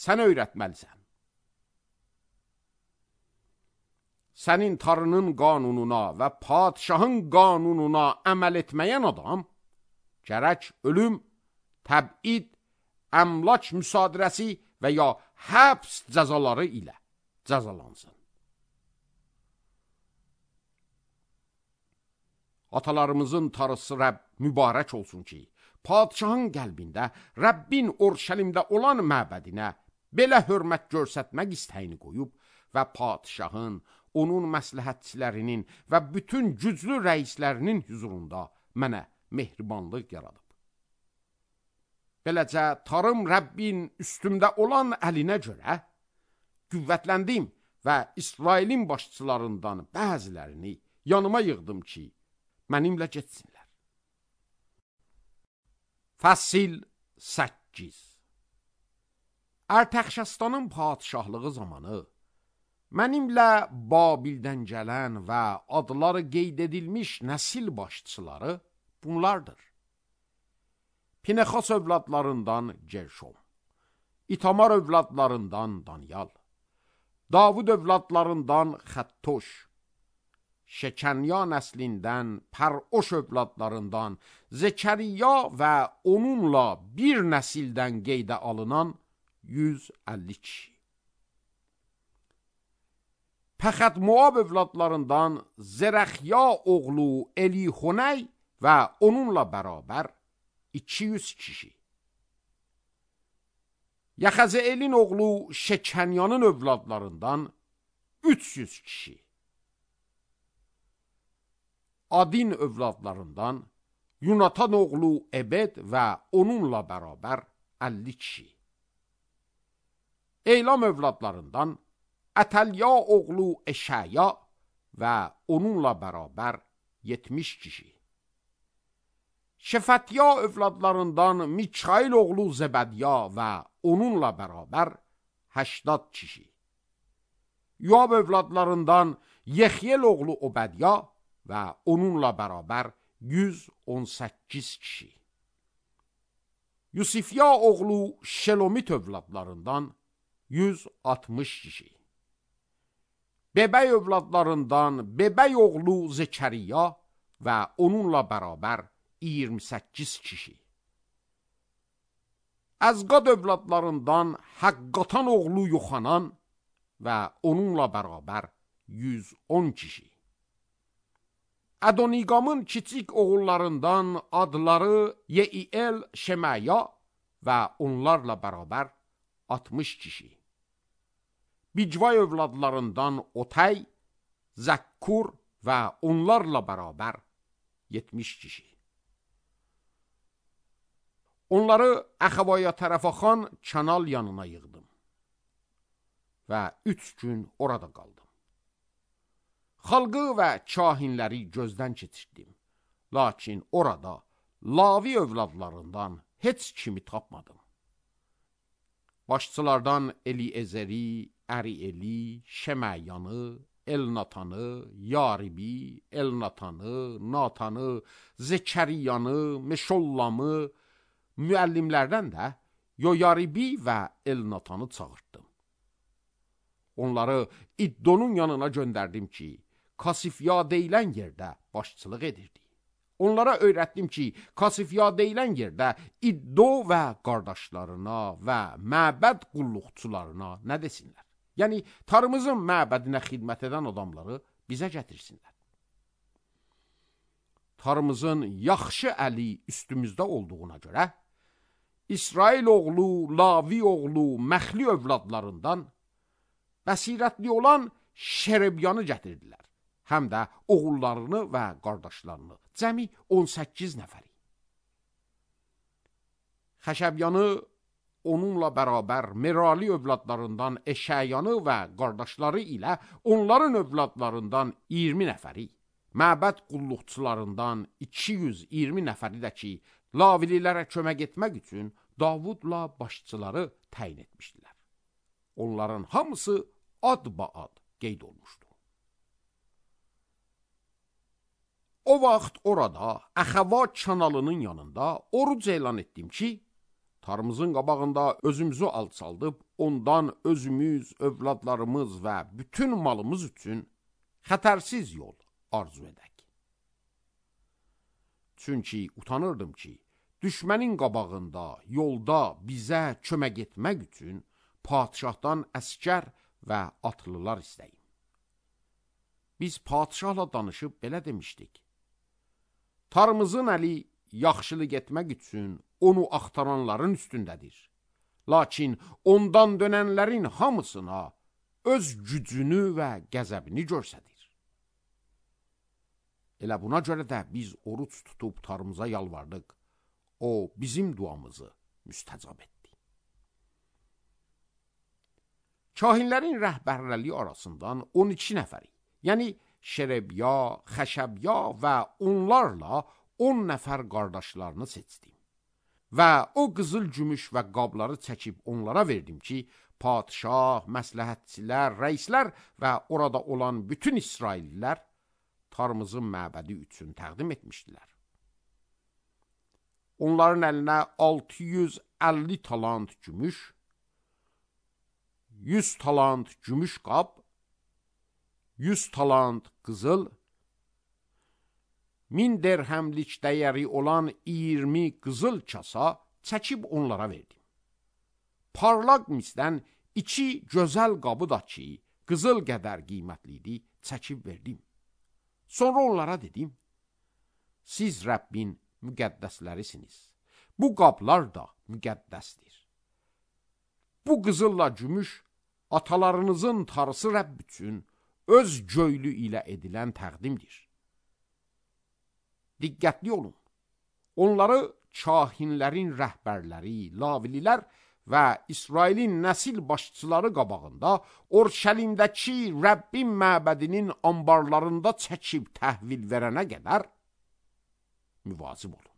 sənə öyrətməlisən. Sənin Tanrının qanununa və padşahın qanununa əməl etməyən adam, gərək ölüm, təbid, əmlak müsadirəsi və ya həbs cəzaları ilə cəzalansın. Atalarımızın Tanrısı Rəbb mübarək olsun ki, padşahın qəlbində Rəbbin Orşəlimdə olan məbədinə belə hörmət görsətmək istəyini qoyub və padşahın, onun məsləhətçilərinin və bütün güclü rəislərinin hüzurunda mənə mehribanlıq yaradıb. Beləcə tarım Rəbbin üstümdə olan əlinə görə qüvvətləndim və İsrailin başçılarından bəzilərini yanıma yığdım ki, mənimlə getsinlər. Fəsil 8. Ərtəxşəstanın padişahlığı zamanı mənimlə Babildən gələn və adları qeyd edilmiş nəsil başçıları bunlardır. Pinexas övladlarından Gerşom, İtamar övladlarından Danyal, Davud övladlarından Xəttoş, Şekenya nəslindən Pəroş övladlarından Zekəriya və onunla bir nəsildən qeydə alınan 150 kişi. Pəxət Moab övladlarından Zərəxya oğlu Elihoney və onunla bərabər 200 kişi. Yaxəzeelin oğlu Şekenyanın övladlarından 300 kişi. Adin övladlarından Yunatan oğlu Ebed və onunla bərabər 50 kişi. Eylam övladlarından Ətəlya oğlu Eşaya və onunla bərabər 70 kişi. Şefətya övladlarından Mikail oğlu Zebədya və onunla bərabər 80 kişi. Yoab övladlarından Yexyel oğlu Obədya və onunla bərabər 118 kişi. Yusifya oğlu Şelomit övladlarından 160 kişi. Bebəy övladlarından Bebəy oğlu Zekəriya və onunla bərabər 28 kişi. Əzqad övladlarından Həqqatan oğlu Yoxanan və onunla bərabər 110 kişi. Adoniqamın kiçik oğullarından adları Yeiel, Şemaya və onlarla bərabər 60 kişi. Bicvay övladlarından Otay, Zəkkur və onlarla bərabər 70 kişi. Onları Əxavaya tərəfaxan kanal yanına yığdım və 3 gün orada qaldım. Xalqı və kahinləri gözdən keçirdim, lakin orada Lavi övladlarından heç kimi tapmadım. Başçılardan Eliezeri, Ərieli, Şeməyanı, Elnatanı, Yaribi, Elnatanı, Natanı, Zekəriyanı, Meşollamı, müəllimlərdən də Yoyaribi və Elnatanı çağırtdım. Onları İddonun yanına göndərdim ki, Kasifya deyilən yerdə başçılıq edirdi. Onlara öyrətdim ki, Kasifya deyilən yerdə İddo və qardaşlarına və məbəd qulluqçularına nə desinlər? Yəni, tarımızın məbədinə xidmət edən adamları bizə gətirsinlər. Tarımızın yaxşı əli üstümüzdə olduğuna görə, İsrail oğlu, Lavi oğlu, Məxli övladlarından bəsirətli olan Şerebyanı gətirdilər. Həm də oğullarını və qardaşlarını, cəmi 18 nəfəri. Xəşəbyanı onunla bərabər Merali övladlarından Eşəyanı və qardaşları ilə onların övladlarından 20 nəfəri, məbəd qulluqçularından 220 nəfəri də ki, Lavililərə kömək etmək üçün Davudla başçıları təyin etmişdilər. Onların hamısı ad-ba-ad qeyd olmuşdu. O vaxt orada Əxava kanalının yanında oruc elan etdim ki, tarımızın qabağında özümüzü alçaldıb, ondan özümüz, övladlarımız və bütün malımız üçün xətərsiz yol arzu edək. Çünki utanırdım ki, düşmənin qabağında, yolda bizə kömək etmək üçün padişahdan əskər və atlılar istəyim. Biz padişahla danışıb belə demişdik. Tarımızın əli yaxşılıq etmək üçün onu axtaranların üstündədir. Lakin ondan dönənlərin hamısına öz gücünü və qəzəbini göstərir. Elə buna görə də biz oruç tutub tarımıza yalvardıq. O bizim duamızı müstəcab etdi. Kahinlərin rəhbərləri arasından 12 nəfəri, yəni Şerebya, Xəşəbya və onlarla 10 nəfər qardaşlarını seçdim. Və o qızıl gümüş və qabları çəkib onlara verdim ki, padişah, məsləhətçilər, rəislər və orada olan bütün İsraillilər Tarmızın məbədi üçün təqdim etmişdilər. Onların əlinə 650 talant gümüş, 100 talant gümüş qab, 100 talant qızıl, 1000 dirhəmlik dəyəri olan 20 qızıl kasa çəkib onlara verdim. Parlaq misdən 2 gözəl qabı da ki, qızıl qədər qiymətli idi, çəkib verdim. Sonra onlara dedim, siz Rəbbin müqəddəslərisiniz. Bu qablar da müqəddəsdir. Bu qızılla gümüş atalarınızın tarısı Rəbb üçün öz göylü ilə edilən təqdimdir. Diqqətli olun. Onları kahinlərin rəhbərləri, lavililər və İsrailin nəsil başçıları qabağında Orşəlimdəki Rəbbin məbədinin ambarlarında çəkib təhvil verənə qədər müvazib olun.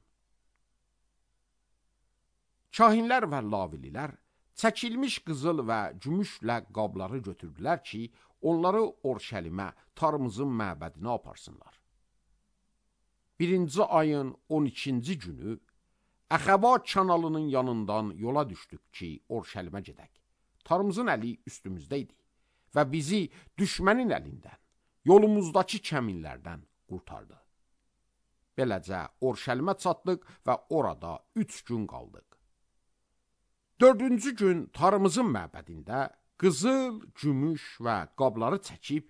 Kahinlər və lavililər çəkilmiş qızıl və gümüşlə qabları götürdülər ki, onları Orşəlimə, Tarmızın məbədinə aparsınlar. 1-ci ayın 12-ci günü Əxəba kanalının yanından yola düşdük ki, Orşəlimə gedək. Tarmızın əli üstümüzdə idi və bizi düşmənin əlindən, yolumuzdakı kəminlərdən qurtardı. Beləcə Orşəlimə çatdıq və orada 3 gün qaldıq. 4-cü gün Tarmızın məbədində qızıl, gümüş və qabları çəkib,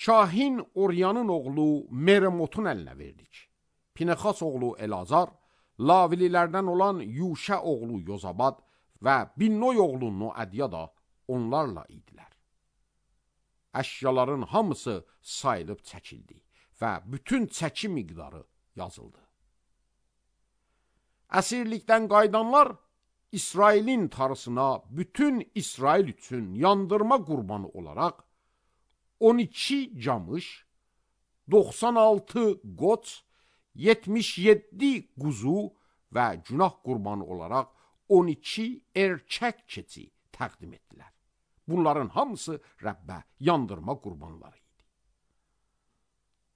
kahin Oryanın oğlu Meremotun əlinə verdik. Pinexas oğlu Elazar, lavililərdən olan Yuşə oğlu Yozabad və Binnoy oğlu Noadiya da onlarla idilər. Əşyaların hamısı sayılıb çəkildi və bütün çəki miqdarı yazıldı. Əsirlikdən qayıdanlar İsrailin tarısına bütün İsrail üçün yandırma qurbanı olaraq 12 camış, 96 qoç, 77 quzu və günah qurbanı olaraq 12 erkək keçi təqdim etdilər. Bunların hamısı Rəbbə yandırma qurbanları idi.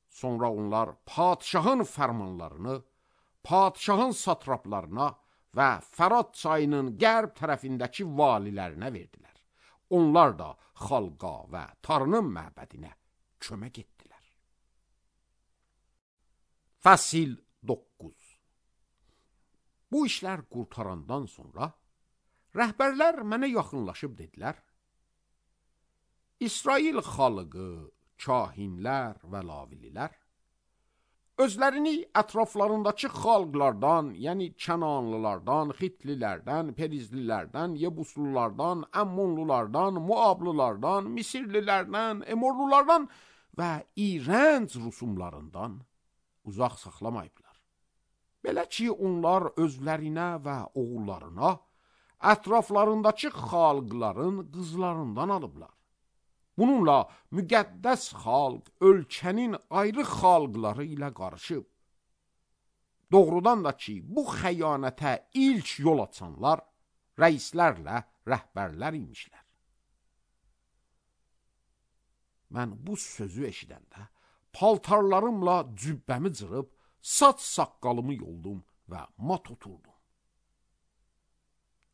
Sonra onlar padişahın fərmanlarını, padişahın satraplarına və Fərat çayının qərb tərəfindəki valilərinə verdilər. Onlar da xalqa və Tarının məbədinə kömək etdilər. Fəsil 9. Bu işlər qurtarandan sonra rəhbərlər mənə yaxınlaşıb dedilər, İsrail xalqı, kahinlər və lavililər özlərini ətraflarındakı xalqlardan, yəni Kənanlılardan, Xitlilərdən, Perizlilərdən, Yebuslulardan, Əmmonlulardan, Muablılardan, Misirlilərdən, Emorlulardan və İrənc rusumlarından uzaq saxlamayıblar. Belə ki, onlar özlərinə və oğullarına ətraflarındakı xalqların qızlarından alıblar. Bununla müqəddəs xalq ölkənin ayrı xalqları ilə qarışıb. Doğrudan da ki, bu xəyanətə ilk yol açanlar rəislərlə rəhbərlər imişlər. Mən bu sözü eşidəndə paltarlarımla cübbəmi cırıb, saç saqqalımı yoldum və mat oturdum.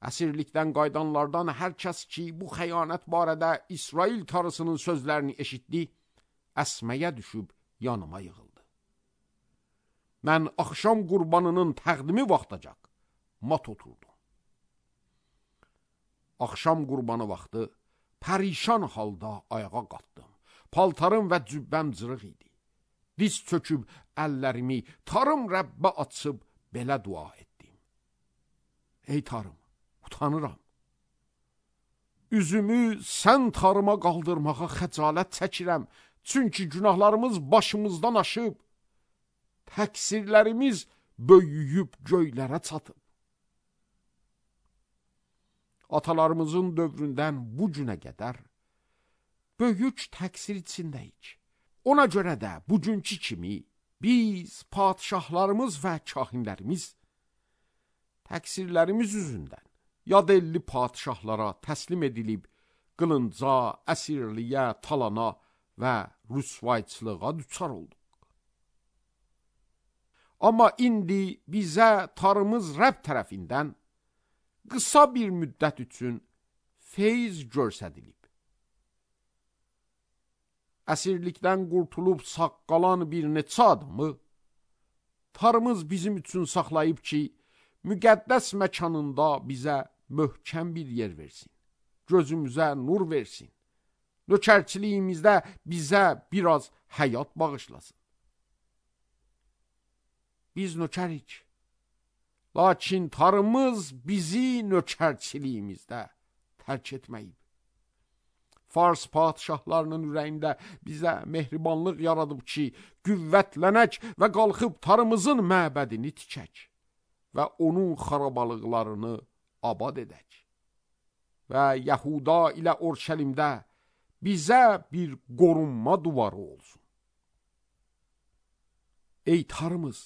Əsirlikdən qaydanlardan hər kəs ki, bu xəyanət barədə İsrail tarısının sözlərini eşitdi, əsməyə düşüb yanıma yığıldı. Mən axşam qurbanının təqdimi vaxtacaq mat oturdum. Axşam qurbanı vaxtı pərişan halda ayağa qalxdım. Paltarım və cübbəm cırıq idi. Diz çöküb əllərimi Tarım Rəbbə açıb belə dua etdim. Ey Tarım, utanıram. Üzümü sən Tarıma qaldırmağa xəcalət çəkirəm, çünki günahlarımız başımızdan aşıb, təqsirlərimiz böyüyüb göylərə çatıb. atalarımızın dövründən bu günə qədər böyük təqsir içindəyik. Ona görə də bugünkü kimi biz, padişahlarımız və kahinlərimiz təqsirlərimiz üzündən yad elli padişahlara təslim edilib, qılınca, əsirliyə, talana və rüsvayçılığa düçar olduq. Amma indi bizə Tanrımız Rəbb tərəfindən qısa bir müddət üçün feyz göstərilib. Əsirlikdən qurtulub sağ qalan bir neçə adamı Tanrımız bizim üçün saxlayıb ki, müqəddəs məkanında bizə möhkəm bir yer versin, gözümüzə nur versin, nökərçiliyimizdə bizə biraz həyat bağışlasın. Biz nökərik, lakin Tanrımız bizi nökərçiliyimizdə tərk etməyib. Fars padişahlarının ürəyində bizə mehribanlıq yaradıb ki, qüvvətlənək və qalxıb Tanrımızın məbədini tikək və onun xarabalıqlarını abad edək. Və Yahuda ilə Orşəlimdə bizə bir qorunma duvarı olsun. Ey Tanrımız,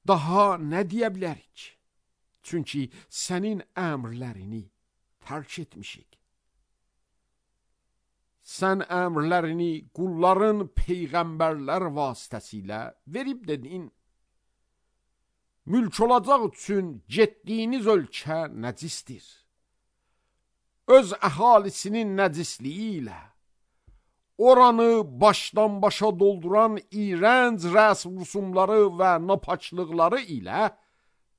daha nə deyə bilərik? Çünki sənin əmrlərini tərk etmişik. Sən əmrlərini qulların peyğəmbərlər vasitəsilə verib dedin. Mülk olacaq üçün getdiyiniz ölkə nəcisdir. Öz əhalisinin nəcisliyi ilə oranı başdan başa dolduran iğrənc rəsm rüsumları və napaçlıqları ilə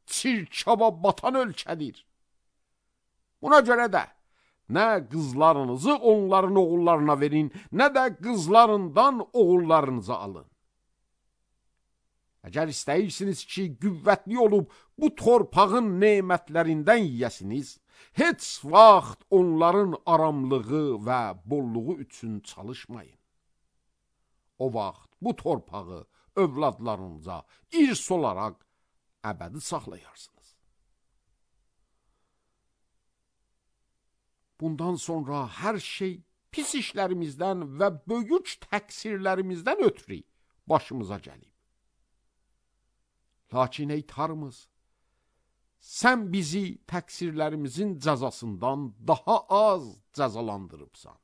çirkaba batan ölkədir. Buna görə də nə qızlarınızı onların oğullarına verin, nə də qızlarından oğullarınızı alın. Əgər istəyirsiniz ki, qüvvətli olub bu torpağın nemətlərindən yiyəsiniz, heç vaxt onların aramlığı və bolluğu üçün çalışmayın. O vaxt bu torpağı övladlarınıza irs olaraq əbədi saxlayarsınız. Bundan sonra hər şey pis işlərimizdən və böyük təqsirlərimizdən ötürü başımıza gəlib. Lakin ey Tanrımız, sən bizi təqsirlərimizin cəzasından daha az cəzalandırıbsan.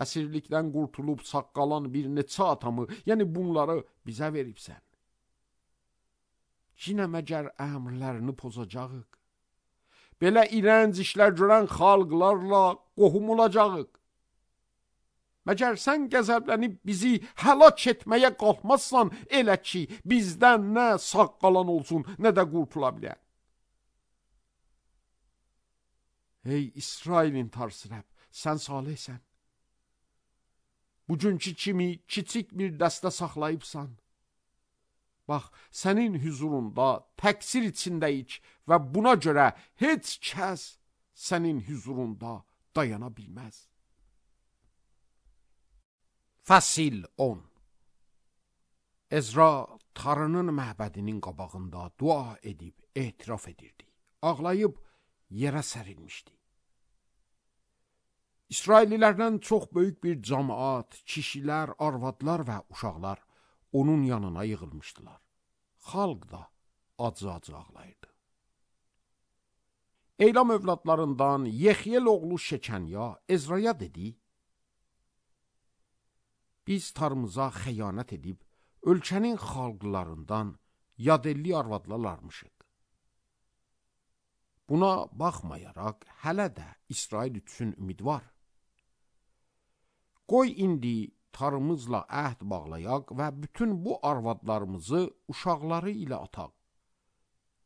Əsirlikdən qurtulub sağ qalan bir neçə atamı, yəni bunları bizə veribsən. Yenə məgər əmrlərini pozacağıq? Belə irənc işlər görən xalqlarla qohum olacağıq. Məgər sən qəzəblənib bizi həlak etməyə qalxmazsan, elə ki, bizdən nə sağ qalan olsun, nə də qurtula bilər. Ey İsrailin Tanrısı Rəbb, sən salihsən. Bugünkü kimi kiçik bir dəstə saxlayıbsan. Bax, sənin hüzurunda təqsir içindəyik və buna görə heç kəs sənin hüzurunda dayana bilməz. Fəsil 10. Ezra Tanrının məbədinin qabağında dua edib etiraf edirdi. Ağlayıb yerə sərilmişdi. İsraillilərdən çox böyük bir cəmaat, kişilər, arvadlar və uşaqlar onun yanına yığılmışdılar. Xalq da acı-acı ağlayırdı. Eylam övladlarından Yexiyel oğlu Şekanya Ezraya dedi: Biz Tanrımıza xəyanət edib, ölkənin xalqlarından yadelli arvadlar almışıq. Buna baxmayaraq, hələ də İsrail üçün ümid var. Qoy indi Tanrımızla əhd bağlayaq və bütün bu arvadlarımızı uşaqları ilə ataq.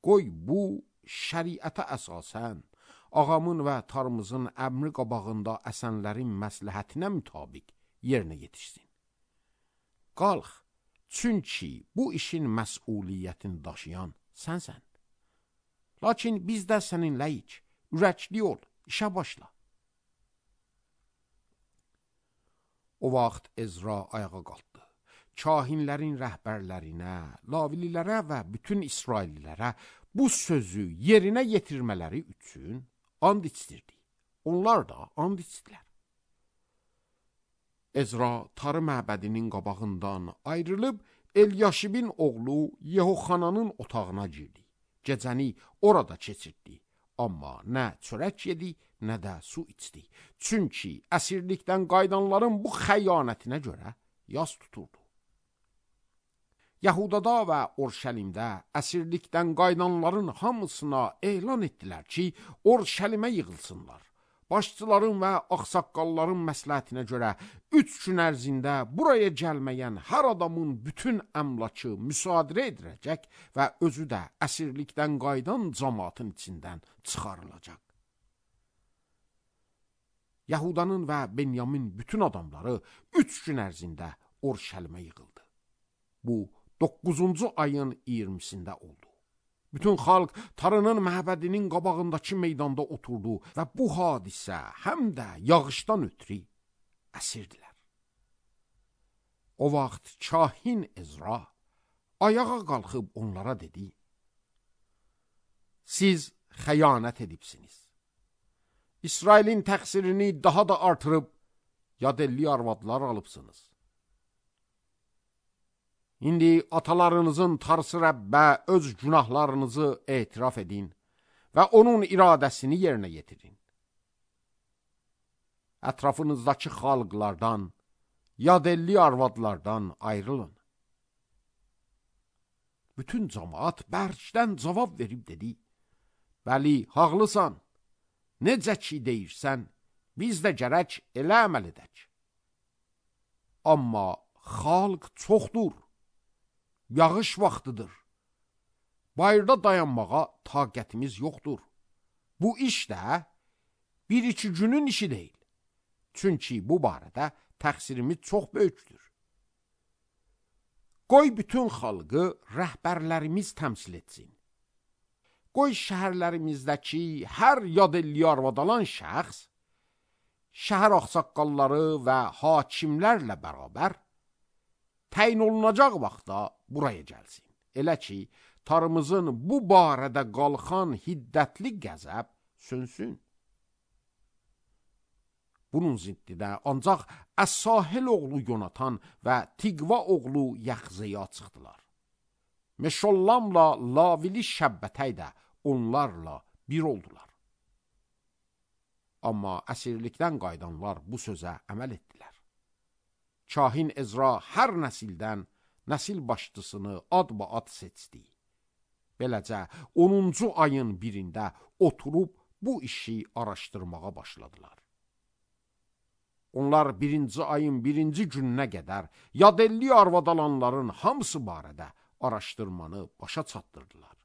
Qoy bu şəriətə əsasən, ağamın və Tanrımızın əmri qabağında əsənlərin məsləhətinə mütabiq yerinə yetişsin. Qalx, çünki bu işin məsuliyyətini daşıyan sənsən. Lakin biz də səninləyik, ürəkli ol, işə başla. O vaxt Ezra ayağa qalxdı. Kahinlərin rəhbərlərinə, lavililərə və bütün İsraillilərə bu sözü yerinə yetirmələri üçün and içdirdi. Onlar da and içdilər. Ezra tarı məbədinin qabağından ayrılıb Elyaşibin oğlu Yehoxananın otağına girdi. Gecəni orada keçirdi. Amma nə çörək yedi, nə də su içdi. Çünki əsirlikdən qayıdanların bu xəyanətinə görə yas tuturdu. Yahudada və Orşəlimdə əsirlikdən qayıdanların hamısına elan etdilər ki, Orşəlimə yığılsınlar. Başçıların və ağsaqqalların məsləhətinə görə 3 gün ərzində buraya gəlməyən hər adamın bütün əmlakı müsadirə ediləcək və özü də əsirlikdən qayıdan cəmaatın içindən çıxarılacaq. Yahudanın və Benyamin bütün adamları 3 gün ərzində Orşəlimə yığıldı. Bu 9-cu ayın 20-sində oldu. Bütün xalq tarının məbədinin qabağındakı meydanda oturdu və bu hadisə həm də yağışdan ötürü əsirdilər. O vaxt kahin Ezra ayağa qalxıb onlara dedi: Siz xəyanət edibsiniz. İsrailin təqsirini daha da artırıb yadelli arvadlar alıbsınız. İndi atalarınızın Tarsı Rəbbə öz günahlarınızı etiraf edin və onun iradəsini yerinə yetirin. Ətrafınızdakı xalqlardan, yadelli arvadlardan ayrılın. Bütün cəmaat bərkdən cavab verib dedi: Bəli, haqlısan. Necə ki deyirsən, biz də gərək elə əməl edək. Amma xalq çoxdur. Yağış vaxtıdır. Bayırda dayanmağa taqətimiz yoxdur. Bu iş də 1-2 günün işi deyil. Çünki bu barədə təqsirimiz çox böyükdür. Qoy bütün xalqı rəhbərlərimiz təmsil etsin. Qoy şəhərlərimizdəki hər yadelli arvad alan şəxs, şəhər ağsaqqalları və hakimlərlə bərabər təyin olunacaq vaxtda buraya gəlsin. Elə ki, tarımızın bu barədə qalxan hiddətli qəzəb sönsün. Bunun ziddidə ancaq Əs-Sahil oğlu Yonatan və Tiqva oğlu Yaxzeya çıxdılar. Meşollamla Lavili Şəbbətəy də onlarla bir oldular. Amma əsirlikdən qayıdanlar bu sözə əməl etdilər. Kahin Ezra hər nəsildən nəsil başçısını adba-ad seçdi. Beləcə 10-cu ayın 1-də oturub bu işi araşdırmağa başladılar. Onlar 1-ci ayın 1-ci gününə qədər yadelli arvad alanların hamısı barədə araşdırmanı başa çatdırdılar.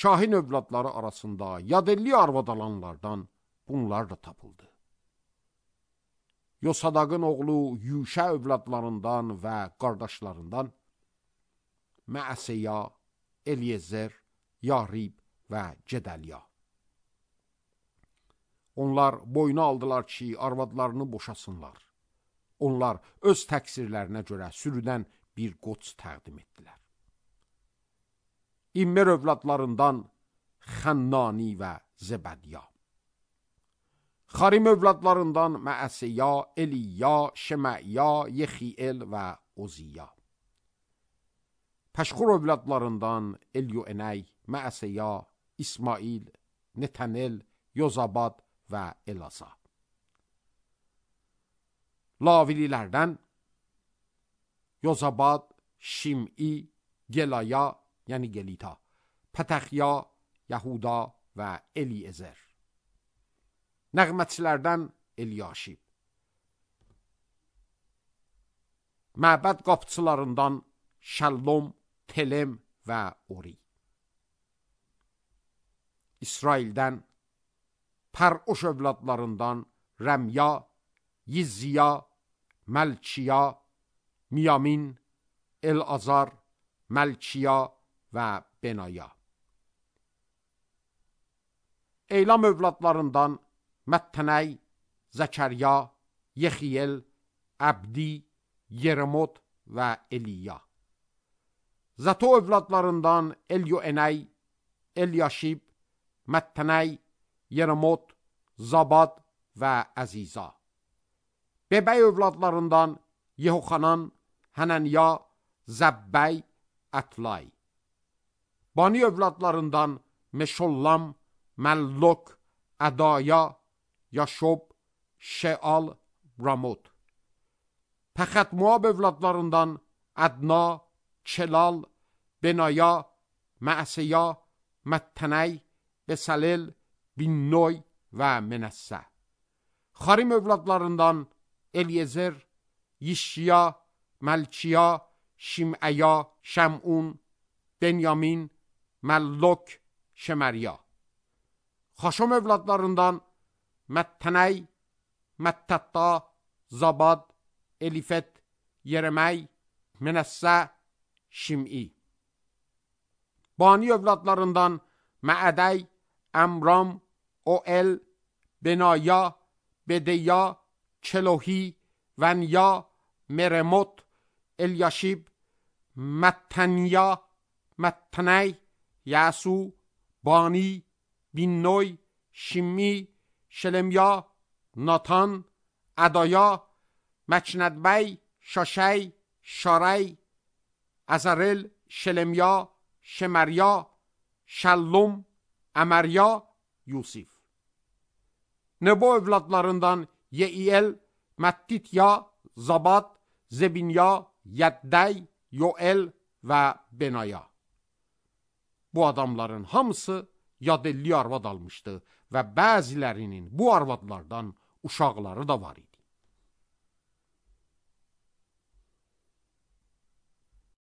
Kahin övladları arasında yadelli arvad alanlardan bunlar da tapıldı. Yosadaqın oğlu Yuşə övladlarından və qardaşlarından Məəseya, Eliezer, Yarib və Gedəliya. Onlar boyuna aldılar ki, arvadlarını boşasınlar. Onlar öz təqsirlərinə görə sürüdən bir qoç təqdim etdilər. İmmer övladlarından Xənnani və Zebədya. Xarim övladlarından Məəseya, Eliya, Şeməya, Yexiel və Oziya. Pəşxur övladlarından Elyoenəy, Məəseya, İsmail, Netanel, Yozabad və Elasa. Lavililərdən Yozabad, Şim'i, Gelaya, yəni Gelita, Pətəxya, Yahuda və Eliezer. Nəğmətçilərdən Elyaşib. Məbəd qapıçılarından Şəllom, Telem və Ori. İsraildən Pər'oş övladlarından Rəmya, Yizziya, Məlkiya, Miyamin, El-Azar, Məlkiya və Benaya. Eylam övladlarından Məttənəy, Zəkərya, Yexiyel, Əbdi, Yeremot və Eliya. Zato övladlarından Elyoenay, Elyaşib, Məttənəy, Yeremot, Zabad və Əziza. Bebəy övladlarından Yehoxanan, Hənənya, Zəbbəy, Ətlay. Bani övladlarından Meşollam, Məllok, Ədaya, Yaşob, Şeal, Ramot. Pəxət-Moab övladlarından Ədna, Çelal, Benaya, Məəseya, Məttənəy, Besalel, Binnoy və Menəssə. Xarim övladlarından Elyezer, Yişya, Məlkiya, Şiməya, Şəmun, Benyamin, Məllok, Şemərya. Xaşom övladlarından Məttənəy, Məttətta, Zabad, Elifet, Yereməy, Menəssə, Şim'i. Bani övladlarından Məədəy, Əmram, Oel, Benaya, Bedeya, Çelohi, Vənya, Meremot, Elyaşib, Məttənya, Məttənəy, Yasu, Bani, Binnoy, Şim'i, Şelemya, Natan, Ədaya, Məknədbəy, Şaşəy, Şaray, Əzərel, Şelemya, Şemərya, Şəllum, Əmərya, Yusif. Nebo övladlarından Yeiyel, Məttitya, Zabad, Zebinya, Yəddəy, Yoel və Benaya. Bu adamların hamısı yadelli arvad almışdı və bəzilərinin bu arvadlardan uşaqları da var idi.